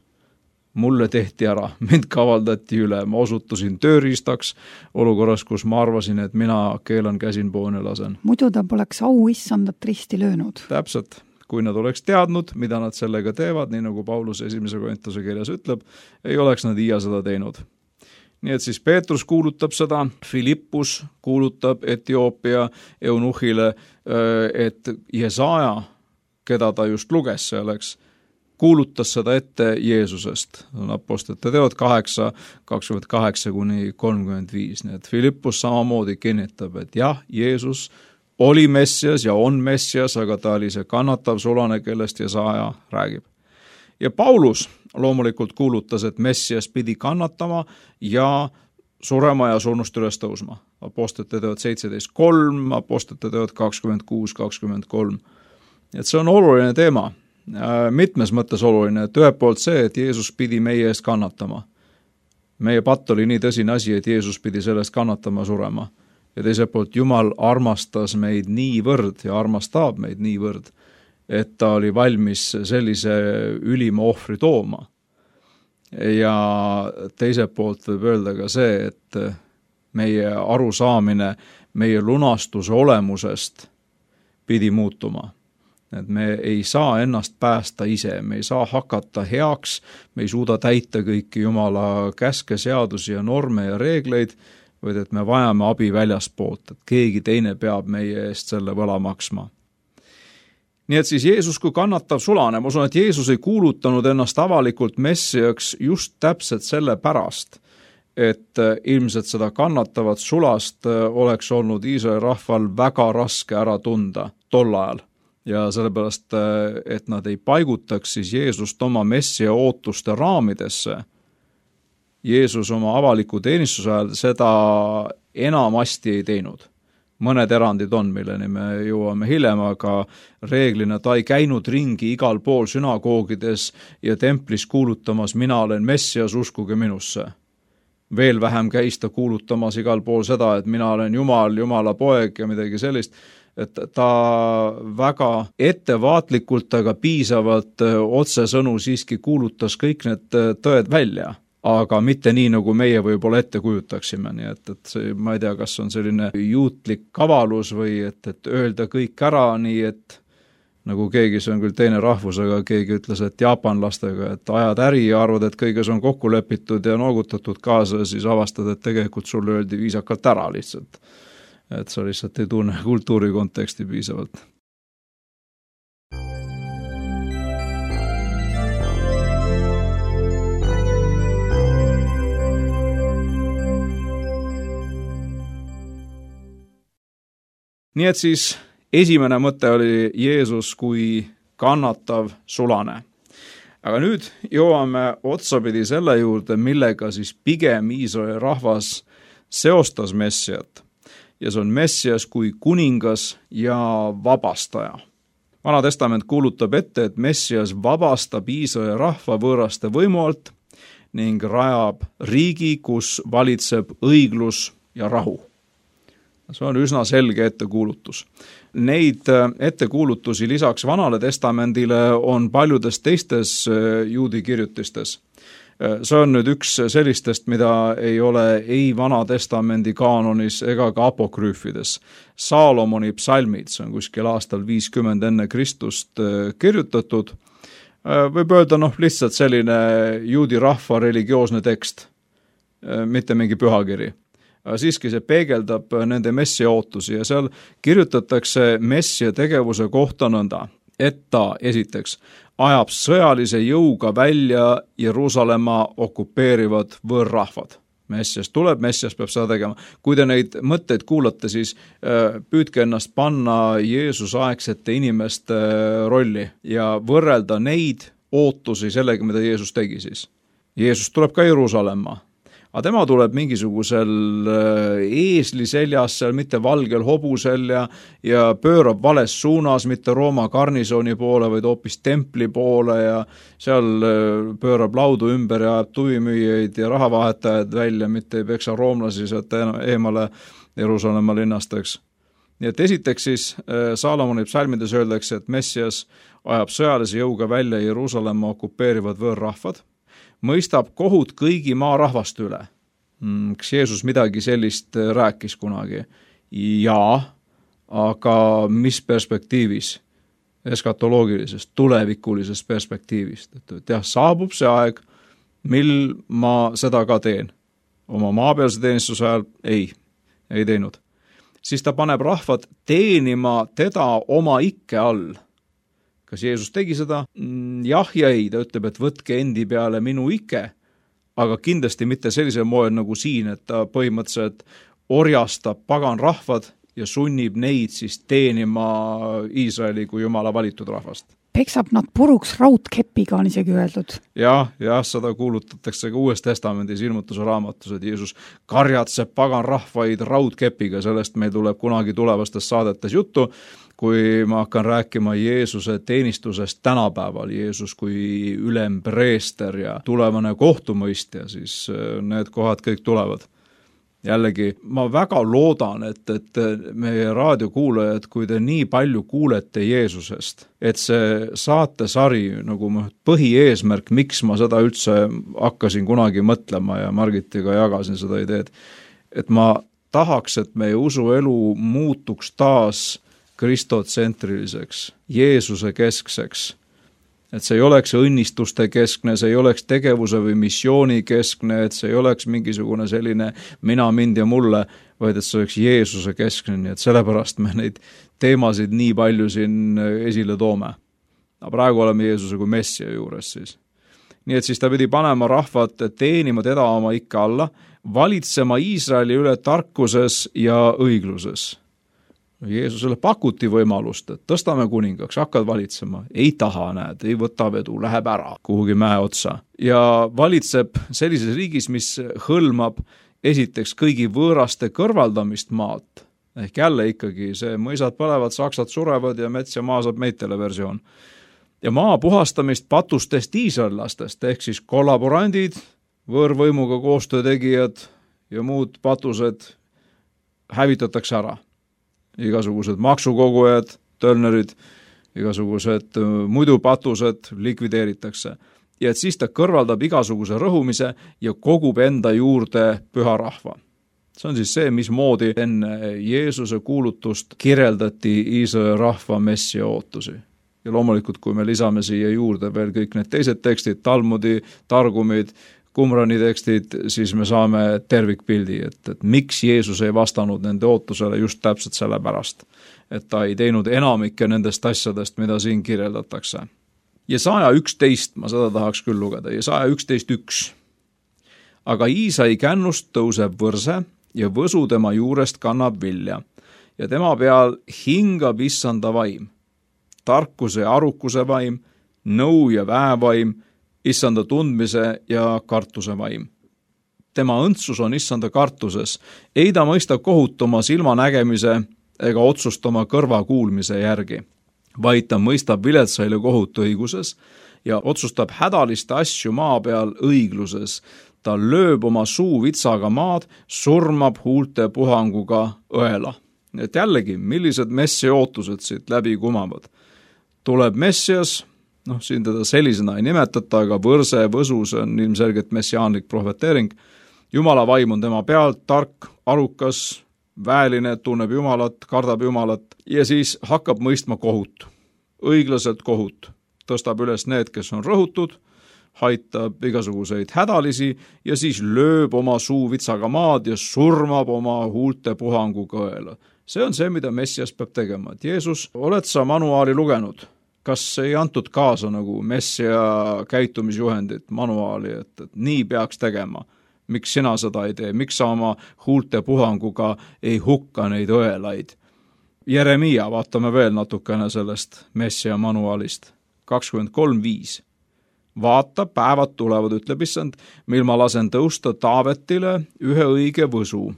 mulle tehti ära, mind kavaldati üle, ma osutusin tööriistaks olukorras, kus ma arvasin, et mina keelan käsin poone lasen. Muidu ta poleks auissandat risti löönud. Täpselt, kui nad oleks teadnud, mida nad sellega teevad, nii nagu Paulus 1. Korintuse kirjas ütleb, ei oleks nad iia seda teinud. Nii et siis Peetrus kuulutab seda, Filippus kuulutab Etioopia eunuhile, et Jesaja, keda ta just luges selleks, kuulutas seda ette Jeesusest. Apostlite teod 8, 28-35. Nii et Filippus samamoodi kinnitab, et jah, Jeesus oli Messias ja on Messias, aga ta oli see kannatav sulane, kellest Jesaja räägib. Ja Paulus loomulikult kuulutas, et Messias pidi kannatama ja surema ja surnust üles tõusma. Apostlite teod 17.3, Apostlite teod 26-23. Et see on oluline teema. Mitmes mõttes oluline, et ühelt poolt see, et Jeesus pidi meie eest kannatama. Meie patt oli nii tõsine asi, et Jeesus pidi sellest kannatama surema. Ja teiselt poolt Jumal armastas meid niivõrd ja armastab meid niivõrd, et ta oli valmis sellise ülima ohvri tooma. Ja teiselt poolt võib öelda ka see, et meie arusaamine meie lunastuse olemusest pidi muutuma. Et me ei saa ennast päästa ise, me ei saa hakata heaks, me ei suuda täita kõiki Jumala käske, seadusi ja norme ja reegleid, vaid et me vajame abi väljaspoolt, et keegi teine peab meie eest selle võla maksma. Nii et siis Jeesus kui kannatav sulane, ma usun, et Jeesus ei kuulutanud ennast avalikult messiaks just täpselt selle pärast, et ilmselt seda kannatavat sulast oleks olnud Iisraeli rahval väga raske ära tunda tol ajal. Ja sellepärast, et nad ei paigutaks siis Jeesust oma messia ootuste raamidesse. Jeesus oma avaliku teenistuse ajal seda enamasti ei teinud. Mõned erandid on, milleni me jõuame hiljem, aga reeglina ta ei käinud ringi igal pool sünagoogides ja templis kuulutamas, mina olen messias, uskuge minusse. Veel vähem käis ta kuulutamas igal pool seda, et mina olen Jumal, Jumala poeg ja midagi sellist, et ta väga ettevaatlikult, aga piisavalt otsesõnu siiski kuulutas kõik need tõed välja. Aga mitte nii, nagu meie võib-olla ette kujutaksime, nii et see, ma ei tea, kas on selline juutlik kavalus või et öelda kõik ära nii, et nagu keegi, see on küll teine rahvus, aga keegi ütles, et jaapanlastega, et ajad äri ja arvad, et kõiges on kokku lepitud ja noogutatud kaasa, siis avastad, et tegelikult sulle öeldi viisakalt ära lihtsalt. Et sa lihtsalt ei tunne kultuuri konteksti piisavalt. Nii et siis esimene mõte oli Jeesus kui kannatav sulane. Aga nüüd jõuame otsapidi selle juurde, millega siis pigem Iisraeli rahvas seostas messiat. Ja see on messias kui kuningas ja vabastaja. Vana testament kuulutab ette, et messias vabastab Iisraeli rahva võõraste võimu alt ning rajab riigi, kus valitseb õiglus ja rahu. See on üsna selge ettekuulutus. Neid ettekuulutusi lisaks Vanale testamendile on paljudes teistes juudi kirjutistes. See on nüüd üks sellistest, mida ei ole ei Vana testamendi kaanonis ega ka apokrüüfides. Saalomoni psalmid, see on kuskil aastal 50 enne Kristust kirjutatud. Võib öelda lihtsalt selline juudi rahva religioosne tekst, mitte mingi pühakiri. Siiski see peegeldab nende messia ootusi ja seal kirjutatakse messia tegevuse kohta nõnda, et ta esiteks ajab sõjalise jõuga välja Jeruusalemma okupeerivad võõrrahvad. Messias tuleb, messias peab seda tegema. Kui te neid mõtteid kuulate, siis püüdke ennast panna Jeesuse aegsete inimeste rolli ja võrrelda neid ootusi sellega, mida Jeesus tegi siis. Jeesus tuleb ka Jeruusalemma. Aga tema tuleb mingisugusel eesli seljas, seal mitte valgel hobusel ja pöörab vales suunas, mitte Rooma garnisoni poole, vaid hoopis templi poole ja seal pöörab laudu ümber ja ajab tuvimüüjaid ja rahavahetajaid välja, mitte ei peksa roomlasi sealt eemale Jeruusalemma linnasteks. Nii et esiteks siis Saalomoni psalmides öeldakse, et messias ajab sõjalise jõuga välja Jeruusalemma okupeerivad võõrrahvad, mõistab kohut kõigi maarahvaste üle. Kas Jeesus midagi sellist rääkis kunagi? Jaa, aga mis perspektiivis? Eskatoloogilisest, tulevikulisest perspektiivist. Et jah, saabub see aeg, mil ma seda ka teen. Oma maapealse teenistuse ajal ei teinud. Siis ta paneb rahvad teenima teda oma ikke all. Kas Jeesus tegi seda? Jah ja ei, ta ütleb, et võtke endi peale minu ikke, aga kindlasti mitte sellisel moel nagu siin, et ta põhimõtteliselt orjastab pagan rahvad ja sunnib neid siis teenima Iisraeli kui Jumala valitud rahvast. Peksab nad puruks raudkepiga, on isegi öeldud. Jah, seda kuulutatakse ka Uues testamendis ilmutuse raamatus, et Jeesus karjatseb pagan rahvaid raudkepiga, sellest meil tuleb kunagi tulevastes saadetes juttu, kui ma hakkan rääkima Jeesuse teenistusest tänapäeval, Jeesus kui ülempreester ja tulevane kohtumõistja, siis need kohad kõik tulevad. Jällegi, ma väga loodan, et meie raadiokuulajad, kui te nii palju kuulete Jeesusest, et see saatesari nagu põhieesmärk, miks ma seda üldse hakkasin kunagi mõtlema ja Margitiga jagasin seda ideed, et ma tahaks, et meie usuelu muutuks taas kristotsentriliseks, Jeesuse keskseks, Et see ei oleks õnnistuste keskne, see ei oleks tegevuse või missiooni keskne, et see ei oleks mingisugune selline mina, mind ja mulle, vaid et see oleks Jeesuse keskne, nii et sellepärast me neid teemasid nii palju siin esile toome. Aga praegu oleme Jeesuse kui Messia juures siis. Nii et siis ta pidi panema rahvad teenima teda oma ikka alla, valitsema Iisraeli üle tarkuses ja õigluses. Jeesusele pakuti võimalust, et tõstame kuningaks, hakkad valitsema. Ei taha, näed, ei võta vedu, läheb ära kuhugi mäe otsa. Ja valitseb sellises riigis, mis hõlmab esiteks kõigi võõraste kõrvaldamist maalt. Ehk jälle ikkagi see mõisad põlevad, saksad surevad ja mets ja maa saab meitele versioon. Ja maa puhastamist patustest iisraellastest, ehk siis kollaborandid, võõrvõimuga koostöötegijad ja muud patused hävitatakse ära. Igasugused maksukogujad, tölnerid, igasugused muidu patused likvideeritakse. Ja et siis ta kõrvaldab igasuguse rõhumise ja kogub enda juurde püha rahva. See on siis see, mismoodi enne Jeesuse kuulutust kirjeldati Iisraeli rahva messia ootusi. Ja loomulikult, kui me lisame siia juurde veel kõik need teised tekstid, Talmudi, Targumid, Qumrani tekstid, siis me saame tervikpildi, et miks Jeesus ei vastanud nende ootusele just täpselt sellepärast, et ta ei teinud enamikke nendest asjadest, mida siin kirjeldatakse. Jesaja 11, ma seda tahaks küll lugeda, Jesaja 11.1. Aga Iisai kännust tõuseb võrse ja võsu tema juurest kannab vilja ja tema peal hingab issanda vaim, tarkuse ja arukuse vaim, nõu ja väevaim, issanda tundmise ja kartuse vaim. Tema õndsus on issanda kartuses, ei ta mõista kohut oma silmanägemise ega otsust oma kõrva kuulmise järgi, vaid ta mõistab viletsaile kohut õiguses ja otsustab hädaliste asju maa peal õigluses. Ta lööb oma suu vitsaga maad, surmab huulte puhanguga õela. Et jällegi, millised messia ootused siit läbi kumavad? Tuleb messias, siin teda sellisena ei nimetata, aga võrse, võsus on ilmselgelt messiaanlik prohveteering. Jumala vaim on tema pealt, tark, arukas, väeline, tunneb Jumalat, kardab Jumalat ja siis hakkab mõistma kohut, õiglaselt kohut. Tõstab üles need, kes on rõhutud, haitab igasuguseid hädalisi ja siis lööb oma suu vitsaga maad ja surmab oma huulte puhanguga õela. See on see, mida messias peab tegema. Et Jeesus, oled sa manuaali lugenud? Kas ei antud kaasa nagu messia käitumisjuhendit, manuaali, et nii peaks tegema? Miks sina seda ei tee? Miks sa oma huulte puhanguga ei hukka neid õelaid? Jeremia, vaatame veel natukene sellest messia manuaalist. 23.5. Vaata, päevad tulevad, ütleb issand, mil ma lasen tõusta Taavetile ühe õige võsu.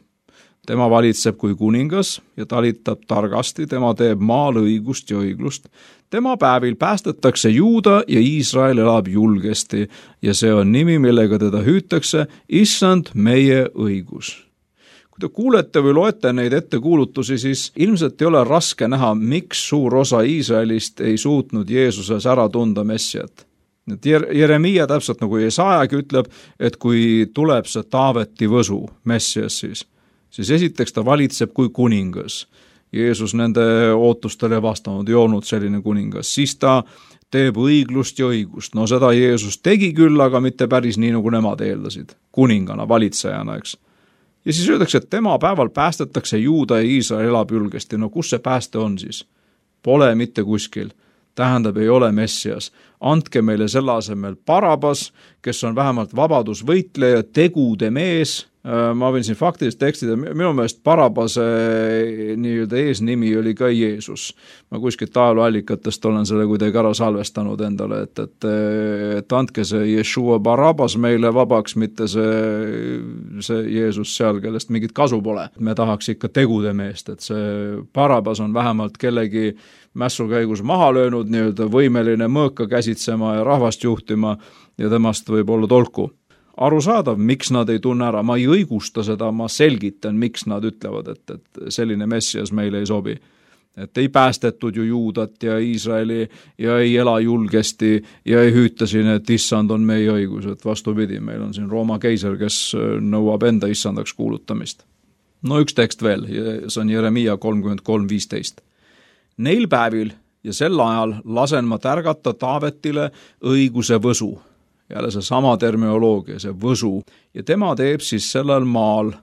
Tema valitseb kui kuningas ja talitab targasti, tema teeb maal õigust ja õiglust. Tema päevil päästetakse Juuda ja Iisrael elab julgesti ja see on nimi, millega teda hüütakse, issand meie õigus. Kui te kuulete või loete neid ettekuulutusi, siis ilmselt ei ole raske näha, miks suur osa Iisraelist ei suutnud Jeesuses ära tunda messiat. Jeremia täpselt nagu Jesajaga ütleb, et kui tuleb see Taaveti võsu messias, siis esiteks ta valitseb kui kuningas. Jeesus nende ootustele vastanud, ei olnud selline kuningas. Siis ta teeb õiglust ja õigust. No seda Jeesus tegi küll, aga mitte päris nii, nagu nemad eeldasid. Kuningana, valitsejana, eks. Ja siis öeldakse, et tema päeval päästetakse Juuda ja Iisrael elab julgesti. No kus see pääste on siis? Pole mitte kuskil. Tähendab, ei ole messias. Andke meile selle asemel Barabas, kes on vähemalt vabadusvõitleja, tegude mees. Ma võin siin faktiliselt tekstida, minu meelest Barabase nii-öelda eesnimi oli ka Jeesus. Ma kuskilt ajalooallikatest olen selle kuidagi ära salvestanud endale, et andke see Yeshua Barabas meile vabaks, mitte see Jeesus seal, kellest mingit kasu pole. Me tahaks ikka tegude meest, et see Barabas on vähemalt kellegi mässukäigus maha löönud, nii-öelda võimeline mõõka käsitsema ja rahvast juhtima ja temast võib olla tolku. Arusaadav, miks nad ei tunne ära, ma ei õigusta seda, ma selgitan, miks nad ütlevad, et selline messias meile ei sobi. Et ei päästetud ju Juudat ja Iisraeli ja ei ela julgesti ja ei hüüta siin, et issand on meie õigus, et vastupidi, meil on siin Rooma keiser, kes nõuab enda issandaks kuulutamist. No üks tekst veel, see on Jeremia 33.15. Neil päevil ja sel ajal lasen ma tärgata Taavetile õiguse võsu. Jälle see sama terminoloogia, see võsu. Ja tema teeb siis sellel maal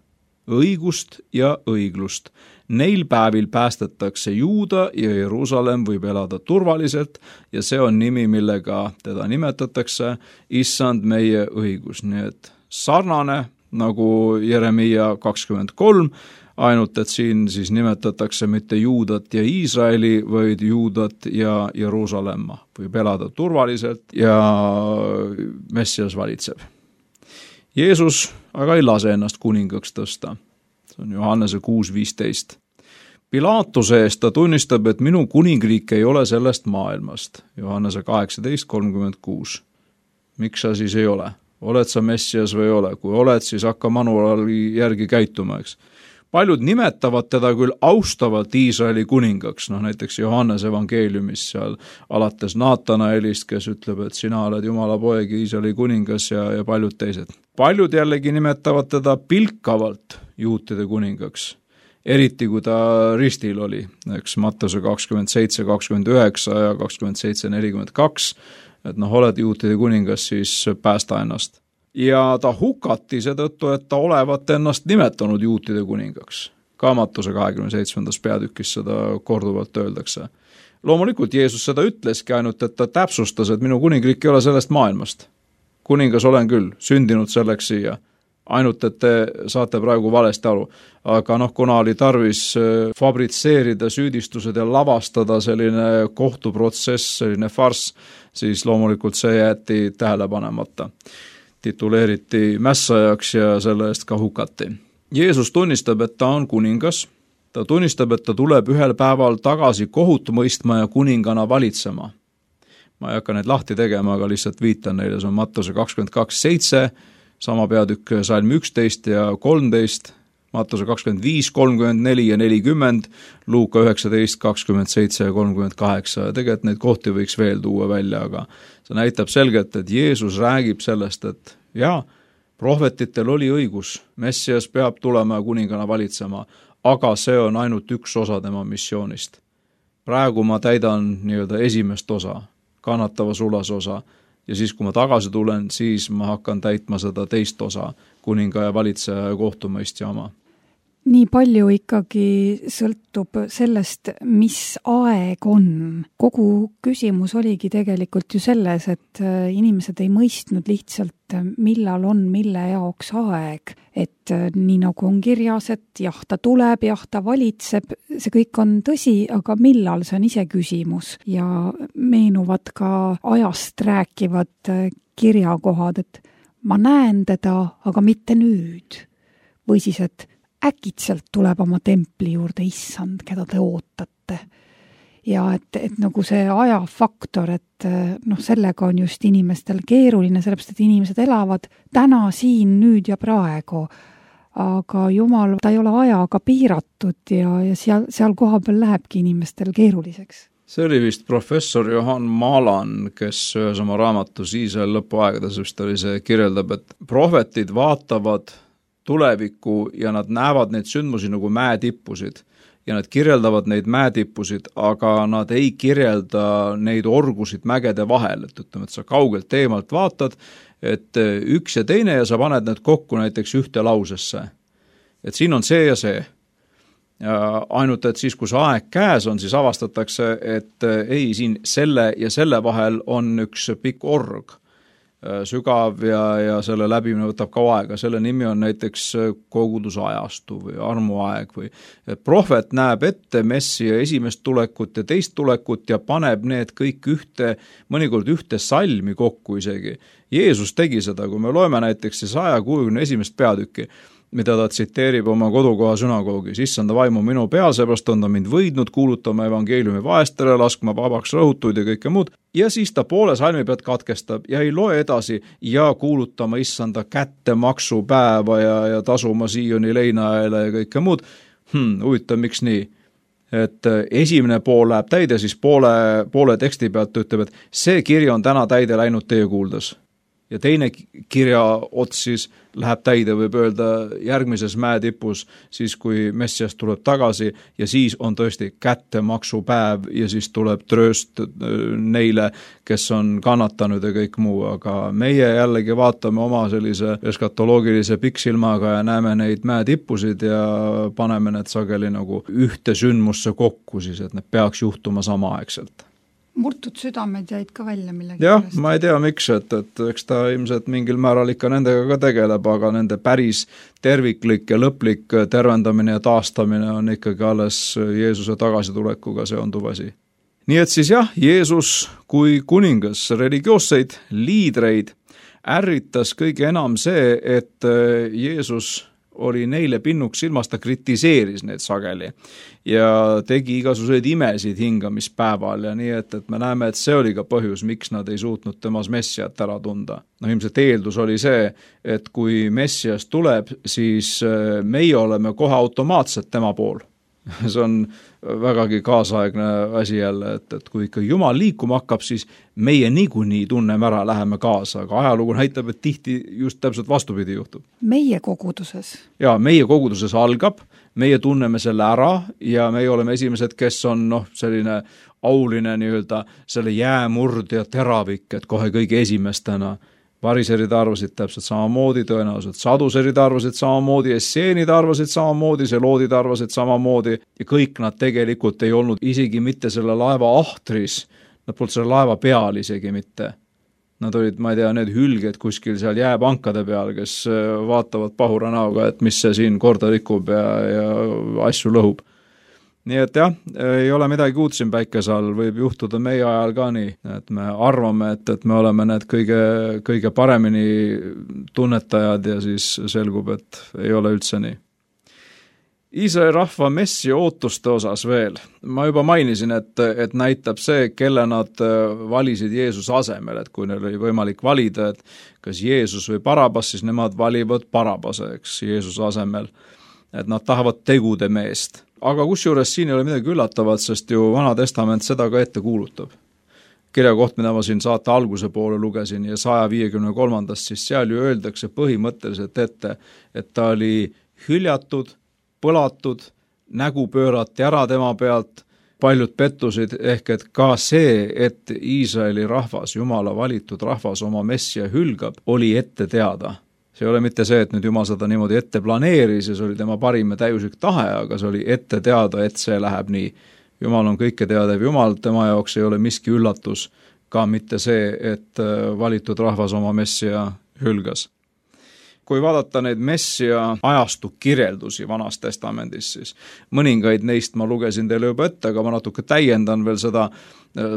õigust ja õiglust. Neil päevil päästetakse Juuda ja Jeruusalemm võib elada turvaliselt ja see on nimi, millega teda nimetatakse Issand meie õigus. Nii et sarnane nagu Jeremiia 23, ainult et siin siis nimetatakse mitte Juudat ja Iisraeli, vaid Juudat ja Jeruusalemma. Võib elada turvaliselt ja Messias valitseb. Jeesus aga ei lase ennast kuningaks tõsta. See on Johannese 6:15. Pilaatuse eest ta tunnistab, et minu kuningriik ei ole sellest maailmast. Johannese 18:36. Miks sa siis ei ole? Oled sa Messias või ei ole? Kui oled, siis hakka manuaali järgi käituma, eks. Paljud nimetavad teda küll austavalt Iisraeli kuningaks, näiteks Johannese evangeeliumis seal alates Naatanaelist, kes ütleb, et sina oled Jumala poeg, Iisraeli kuningas ja paljud teised. Paljud jällegi nimetavad teda pilkavalt juutide kuningaks, eriti kui ta ristil oli, eks Mattuse 27:29 ja 27:42, et oled juutide kuningas, siis päästa ennast. Ja ta hukati seetõttu, et ta olevat ennast nimetanud juutide kuningaks. Ka Mattuse 27. peatükis seda korduvalt öeldakse. Loomulikult Jeesus seda ütleski ainult, et ta täpsustas, et minu kuningriik ei ole sellest maailmast. Kuningas olen küll, sündinud selleks siia. Ainult, et te saate praegu valesti aru. Aga kuna oli tarvis fabritseerida süüdistused ja lavastada selline kohtuprotsess, selline farss, siis loomulikult see jäeti tähele panemata. Tituleeriti mässajaks ja selle eest ka hukati. Jeesus tunnistab, et ta on kuningas. Ta tunnistab, et ta tuleb ühel päeval tagasi kohut mõistma ja kuningana valitsema. Ma ei hakka neid lahti tegema, aga lihtsalt viitan neile. See on Mattuse 22:7, sama peatükk salm 11 ja 13, Mattuse 25, 34 ja 40, Luuka 19, 27 ja 38. Ja tegelikult neid kohti võiks veel tuua välja, aga see näitab selgelt, et Jeesus räägib sellest, et prohvetitel oli õigus, Messias peab tulema ja kuningana valitsema, aga see on ainult üks osa tema missioonist. Praegu ma täidan nii-öelda esimest osa, kannatava sulase osa, ja siis, kui ma tagasi tulen, siis ma hakkan täitma seda teist osa, kuninga ja valitseja ja kohtumõistja oma. Nii palju ikkagi sõltub sellest, mis aeg on. Kogu küsimus oligi tegelikult ju selles, et inimesed ei mõistnud lihtsalt, millal on mille jaoks aeg. Et nii nagu on kirjas, et jah, ta tuleb, jah, ta valitseb, see kõik on tõsi, aga millal, see on ise küsimus. Ja meenuvad ka ajast rääkivad kirjakohad, et ma näen teda, aga mitte nüüd. Või siis, et äkitselt tuleb oma templi juurde issand, keda te ootate. Ja et nagu see ajafaktor, et sellega on just inimestel keeruline, sellepärast, et inimesed elavad täna, siin, nüüd ja praegu. Aga Jumal, ta ei ole ajaga piiratud ja seal koha peal lähebki inimestel keeruliseks. See oli vist professor Johan Maalan, kes ühes oma raamatus Iisraeli lõpuaegades vist oli see kirjeldab, et prohvetid vaatavad tulevikku ja nad näevad neid sündmusi nagu mäetippusid ja nad kirjeldavad neid mäetippusid, aga nad ei kirjelda neid orgusid mägede vahel, et ütleme, et sa kaugelt teemalt vaatad, et üks ja teine ja sa paned need kokku näiteks ühte lausesse. Et siin on see ja see. Ja ainult, et siis, kui see aeg käes on, siis avastatakse, et ei, siin selle ja selle vahel on üks pikk org, sügav ja selle läbimine võtab ka aega. Selle nimi on näiteks kogudusajastu või armuaeg või prohvet näeb ette Messia esimest tulekut ja teist tulekut ja paneb need kõik mõnikord ühte salmi kokku isegi. Jeesus tegi seda, kui me loeme näiteks 161. peatükki, mida ta tsiteerib oma kodukoha sünagoogis. Issanda vaimu minu peal, seepärast on ta mind võidnud kuulutama evangeeliumi vaestele, laskma vabaks rõhutuid ja kõike muud. Ja siis ta poole salmi pealt katkestab ja ei loe edasi ja kuulutama issanda kättemaksupäeva ja tasuma Sioni leinaajale ja kõike muud. Huvitav, miks nii? Et esimene pool läheb täide, siis poole teksti pealt ütleb, et see kiri on täna täide läinud teie kuuldes. ja teine kirja ots siis läheb täide, võib öelda, järgmises mäetipus, siis kui Messias tuleb tagasi ja siis on tõesti kättemaksupäev ja siis tuleb trööst neile, kes on kannatanud ja kõik muu, aga meie jällegi vaatame oma sellise eskatoloogilise pikksilmaga ja näeme neid mäetippusid ja paneme need sageli nagu ühte sündmusse kokku siis, et need peaks juhtuma samaaegselt. Murtud südamed jäid ka välja millegi jah, pärast. ma ei tea miks, et eks ta ilmselt mingil määral ikka nendega ka tegeleb, aga nende päris terviklik ja lõplik tervendamine ja taastamine on ikkagi alles Jeesuse tagasitulekuga seonduv asi. Nii et siis jah, Jeesus kui kuningas religioosseid liidreid ärritas kõige enam see, et Jeesus oli neile pinnuks silmas, ta kritiseeris neid sageli ja tegi igasuguseid imesid hingamispäeval ja nii, et me näeme, et see oli ka põhjus, miks nad ei suutnud temas Messiat ära tunda. No ilmselt eeldus oli see, et kui Messias tuleb, siis meie oleme kohe automaatselt tema pool. See on vägagi kaasaegne asi jälle, et kui ikka Jumal liikuma hakkab, siis meie niikuinii tunneme ära, läheme kaasa, aga ajalugu näitab, et tihti just täpselt vastupidi juhtub. Meie koguduses? Jaa, meie koguduses algab, meie tunneme selle ära ja meie oleme esimesed, kes on selline auline nii-öelda selle jäämurd ja teravik, et kohe kõige esimestena. Variserid arvasid täpselt samamoodi, tõenäoliselt saduserid arvasid samamoodi, esseenid arvasid samamoodi, seloodid arvasid samamoodi ja kõik nad tegelikult ei olnud isegi mitte selle laeva ahtris, nad polnud selle laeva peal isegi mitte. Nad olid, ma ei tea, need hülged kuskil seal jääpankade peal, kes vaatavad pahura näoga, et mis see siin korda rikub ja asju lõhub. Nii et jah, ei ole midagi uut siin päikese all, võib juhtuda meie ajal ka nii, et me arvame, et me oleme need kõige paremini tunnetajad ja siis selgub, et ei ole üldse nii. Iisraeli rahva messi ootuste osas veel. Ma juba mainisin, et näitab see, kelle nad valisid Jeesuse asemel, et kui neil oli võimalik valida, et kas Jeesus või Barabas, siis nemad valivad Barabase, eks, Jeesuse asemel. Et nad tahavad tegude meest. Aga kusjuures siin ei ole midagi üllatavat, sest ju Vana Testament seda ka ette kuulutab. Kirja koht, mida ma siin saate alguse poole lugesin ja 153. siis seal ju öeldakse põhimõtteliselt ette, et ta oli hüljatud, põlatud, nägu pöörati ära tema pealt, paljud pettusid, ehk et ka see, et Iisraeli rahvas, Jumala valitud rahvas oma messia hülgab, oli ette teada. See ei ole mitte see, et nüüd Jumal seda niimoodi ette planeeris ja see oli tema parim ja täiuslik tahe, aga see oli ette teada, et see läheb nii. Jumal on kõike teadev Jumal, tema jaoks ei ole miski üllatus, ka mitte see, et valitud rahvas oma messia hülgas. Kui vaadata neid messia ajastu kirjeldusi Vanas Testamendis, siis mõningaid neist ma lugesin teile juba ette, aga ma natuke täiendan veel seda,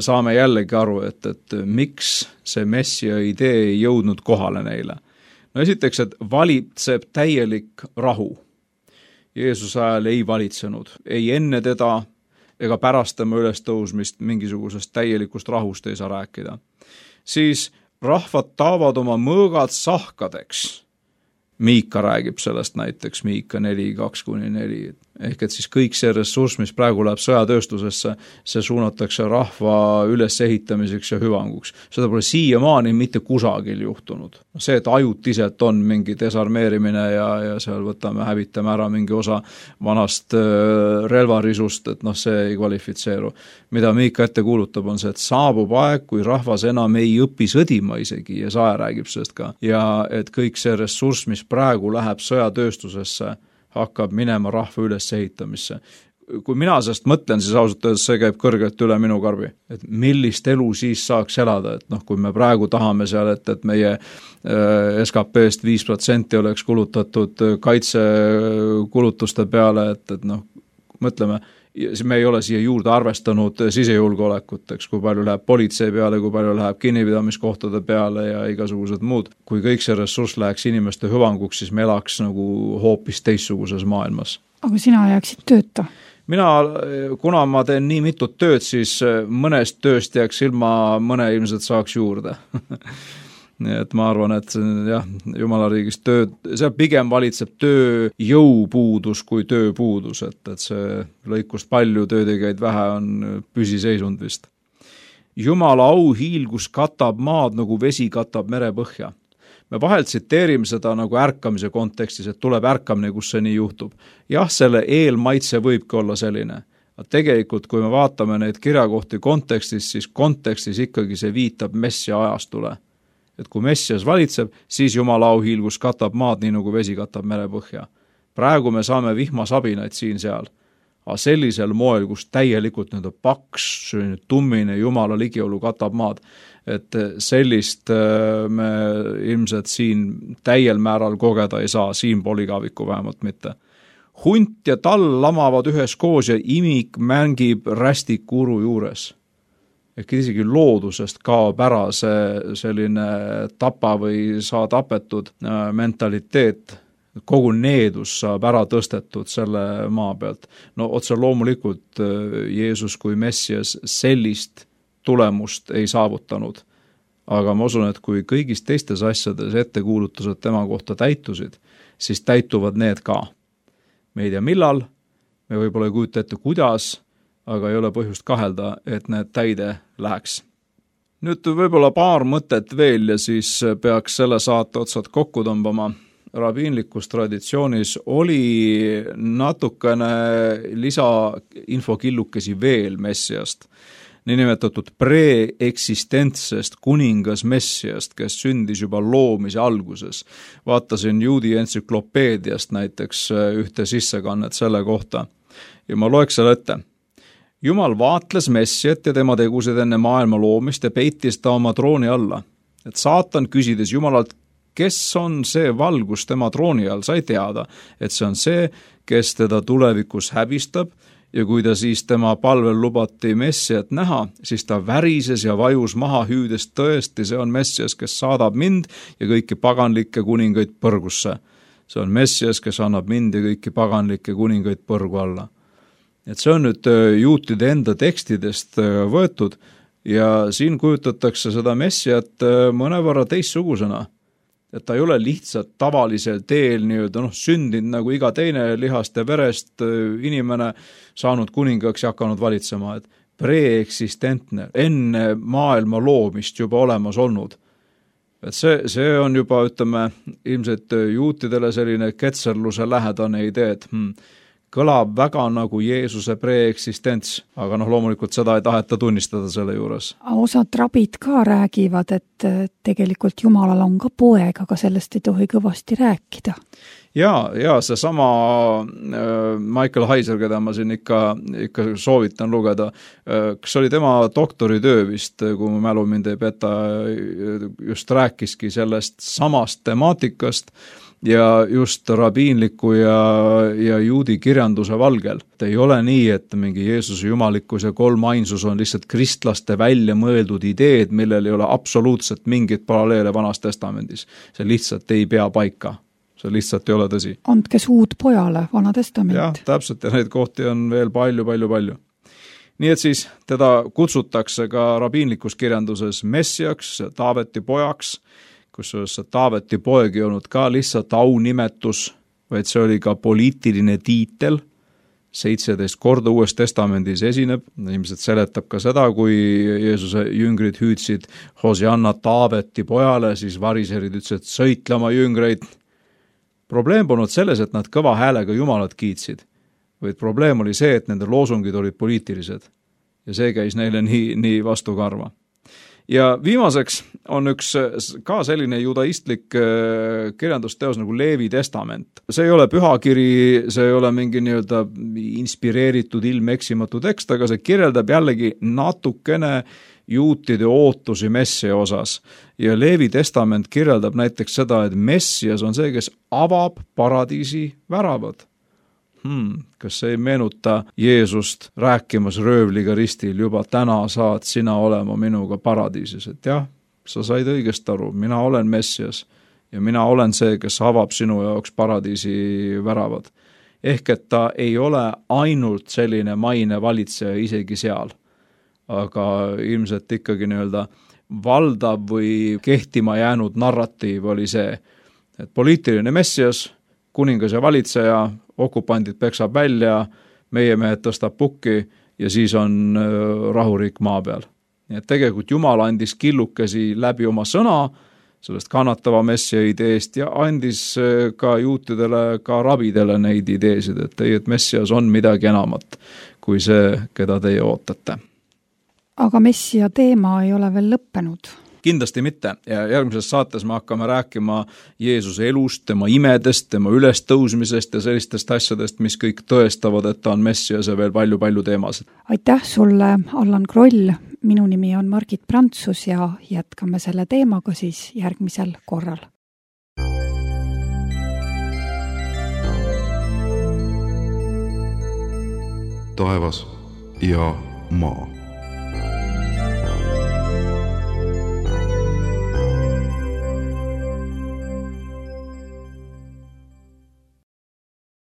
saame jällegi aru, et miks see messia idee ei jõudnud kohale neile. No esiteks, et valitseb täielik rahu. Jeesuse ajal ei valitsenud, ei enne teda ega pärast tema ülestõusmist mingisugusest täielikust rahust ei saa rääkida. Siis rahvad taavad oma mõõgad sahkadeks. Miika räägib sellest näiteks, Miika 4:2-4. Ehk et siis kõik see ressurss, mis praegu läheb sõjatööstusesse, see suunatakse rahva ülesehitamiseks ja hüvanguks. Seda pole siiamaani mitte kusagil juhtunud. See, et ajutiselt on mingi desarmeerimine ja seal hävitame ära mingi osa vanast relvarisust, et see ei kvalifitseeru. Mida Miika ette kuulutab, on see, et saabub aeg, kui rahvas enam ei õpi sõdima isegi ja Sae räägib sellest ka. Ja et kõik see ressurss, mis praegu läheb sõjatööstusesse, hakkab minema rahva ülesehitamisse. Kui mina sellest mõtlen, siis ausalt öeldes see käib kõrgelt üle minu karbi. Et millist elu siis saaks elada, et kui me praegu tahame seal, et meie SKP-st 5% oleks kulutatud kaitsekulutuste peale, et mõtleme, me ei ole siia juurde arvestanud sisejulgeolekut, eks, kui palju läheb politsei peale, kui palju läheb kinnipidamiskohtade peale ja igasugused muud. Kui kõik see ressurss läheks inimeste hüvanguks, siis me elaks nagu hoopis teistsuguses maailmas. Aga sina jääksid tööta? Kuna ma teen nii mitut tööd, siis mõnest tööst jääks ilma, mõne ilmselt saaks juurde. Nii et ma arvan, et jah, Jumala riigis see pigem valitseb tööjõupuudus kui tööpuudus, et see lõikust palju, töötegijaid vähe on püsiseisund vist. Jumala auhiilgus katab maad nagu vesi katab merepõhja. me vahel tsiteerime seda nagu ärkamise kontekstis, et tuleb ärkamine, kus see nii juhtub. Jah, selle eelmaitse võibki olla selline. Tegelikult, kui me vaatame neid kirjakohti kontekstis, siis kontekstis ikkagi see viitab Messia ajastule. Et kui Messias valitseb, siis Jumala auhiilgus katab maad, nii nagu vesi katab merepõhja. Praegu me saame vihmasabinaid siin-seal. Aga sellisel moel, kus täielikult paks, tummine Jumala ligiolu katab maad, et sellist me ilmselt siin täiel määral kogeda ei saa, siin poligaviku vähemalt mitte. Hunt ja tall lamavad ühes koos ja imik mängib rästikuru juures. Ehk isegi loodusest kaob ära see selline tapa või saa tapetud mentaliteet. Kogu needus saab ära tõstetud selle maa pealt. No otse loomulikult Jeesus kui Messias sellist tulemust ei saavutanud. Aga ma usun, et kui kõigis teistes asjades ettekuulutused tema kohta täitusid, siis täituvad need ka. Me ei tea millal, me võib-olla ei kujuta ette kuidas, aga ei ole põhjust kahelda, et need täide läheks. Nüüd võib-olla paar mõtet veel ja siis peaks selle saate otsad kokku tõmbama. Rabiinlikus traditsioonis oli natukene lisainfokillukesi veel Messiast, niinimetatud preeksistentsest kuningas Messiast, kes sündis juba loomise alguses. Vaatasin juudi entsüklopeediast näiteks ühte sissekannet selle kohta ja ma loeks selle ette. Jumal vaatles Messiat ja tema tegusid enne maailma loomist ja peitis ta oma trooni alla. Et saatan küsides Jumalalt, kes on see valgus tema trooni all, sai teada, et see on see, kes teda tulevikus häbistab ja kui ta siis tema palvel lubati Messiat näha, siis ta värises ja vajus maha hüüdes tõesti, see on Messias, kes saadab mind ja kõiki paganlikke kuningaid põrgusse. See on Messias, kes annab mind ja kõiki paganlikke kuningaid põrgu alla. Et see on nüüd juutide enda tekstidest võetud ja siin kujutatakse seda Messiat mõnevõrra teistsugusena. Et ta ei ole lihtsalt tavalisel teel sündinud nagu iga teine lihast ja verest inimene saanud kuningaks ja hakanud valitsema, et preeksistentne, enne maailma loomist juba olemas olnud. Et see on juba, ütleme, ilmselt juutidele selline ketserluse lähedane idee, et kõlab väga nagu Jeesuse preeksistents, aga loomulikult seda ei taheta tunnistada selle juures. Osad rabid ka räägivad, et tegelikult Jumalal on ka poeg, aga sellest ei tohi kõvasti rääkida. Ja see sama Michael Heiser, keda ma siin ikka soovitan lugeda, kas oli tema doktoritöö vist, kui mu mälu mind ei peta, just rääkiski sellest samast temaatikast, ja just rabiinliku ja juudi kirjanduse valgel. Et ei ole nii, et mingi Jeesuse jumalikkus ja kolmainsus on lihtsalt kristlaste välja mõeldud ideed, millel ei ole absoluutselt mingit paralleele Vanas Testamendis. See lihtsalt ei pea paika. See lihtsalt ei ole tõsi. Andke suud pojale, Vana Testament. Jah, täpselt, ja neid kohti on veel palju. Nii et siis teda kutsutakse ka rabiinlikus kirjanduses Messiaks, Taaveti pojaks, kusjuures Taaveti poeg ei olnud ka lihtsalt aunimetus, vaid see oli ka poliitiline tiitel. 17 korda Uues Testamendis esineb, ilmselt seletab ka seda, kui Jeesuse jüngrid hüüdsid Hosianna Taaveti pojale, siis variserid ütlesid sõitlema jüngreid. Probleem polnud selles, et nad kõva häälega Jumalat kiitsid, vaid probleem oli see, et nende loosungid olid poliitilised ja see käis neile nii vastu karva. Ja viimaseks on üks ka selline judaistlik kirjandusteos nagu Leevi testament. See ei ole pühakiri, see ei ole mingi inspireeritud ilmeksimatu tekst, aga see kirjeldab jällegi natukene juutide ootusi Messia osas. Ja Leevi testament kirjeldab näiteks seda, et Messias on see, kes avab paradiisi väravad. Kas see ei meenuta Jeesust rääkimas röövliga ristil, juba täna saad sina olema minuga paradiisis, et jah, sa said õigest aru, mina olen Messias ja mina olen see, kes avab sinu jaoks paradiisi väravad. Ehk et ta ei ole ainult selline maine valitseja isegi seal, aga ilmselt ikkagi valdav või kehtima jäänud narratiiv oli see, et poliitiline Messias, kuningas ja valitseja, okupandid peksab välja, meie mehed tõstab pukki ja siis on rahuriik maa peal. Nii et tegelikult Jumal andis killukesi läbi oma sõna, sellest kannatava messia ideest ja andis ka juutidele, ka rabidele neid ideesid, et ei, et messias on midagi enamat kui see, keda teie ootate. Aga messia teema ei ole veel lõppenud. Kindlasti mitte ja järgmises saates me hakkame rääkima Jeesuse elust, tema imedest, tema ülestõusmisest ja sellistest asjadest, mis kõik tõestavad, et ta on messias ja veel palju-palju teemasid. Aitäh sulle, Allan Kroll, minu nimi on Margit Prantsus ja jätkame selle teemaga siis järgmisel korral. Taevas ja maa.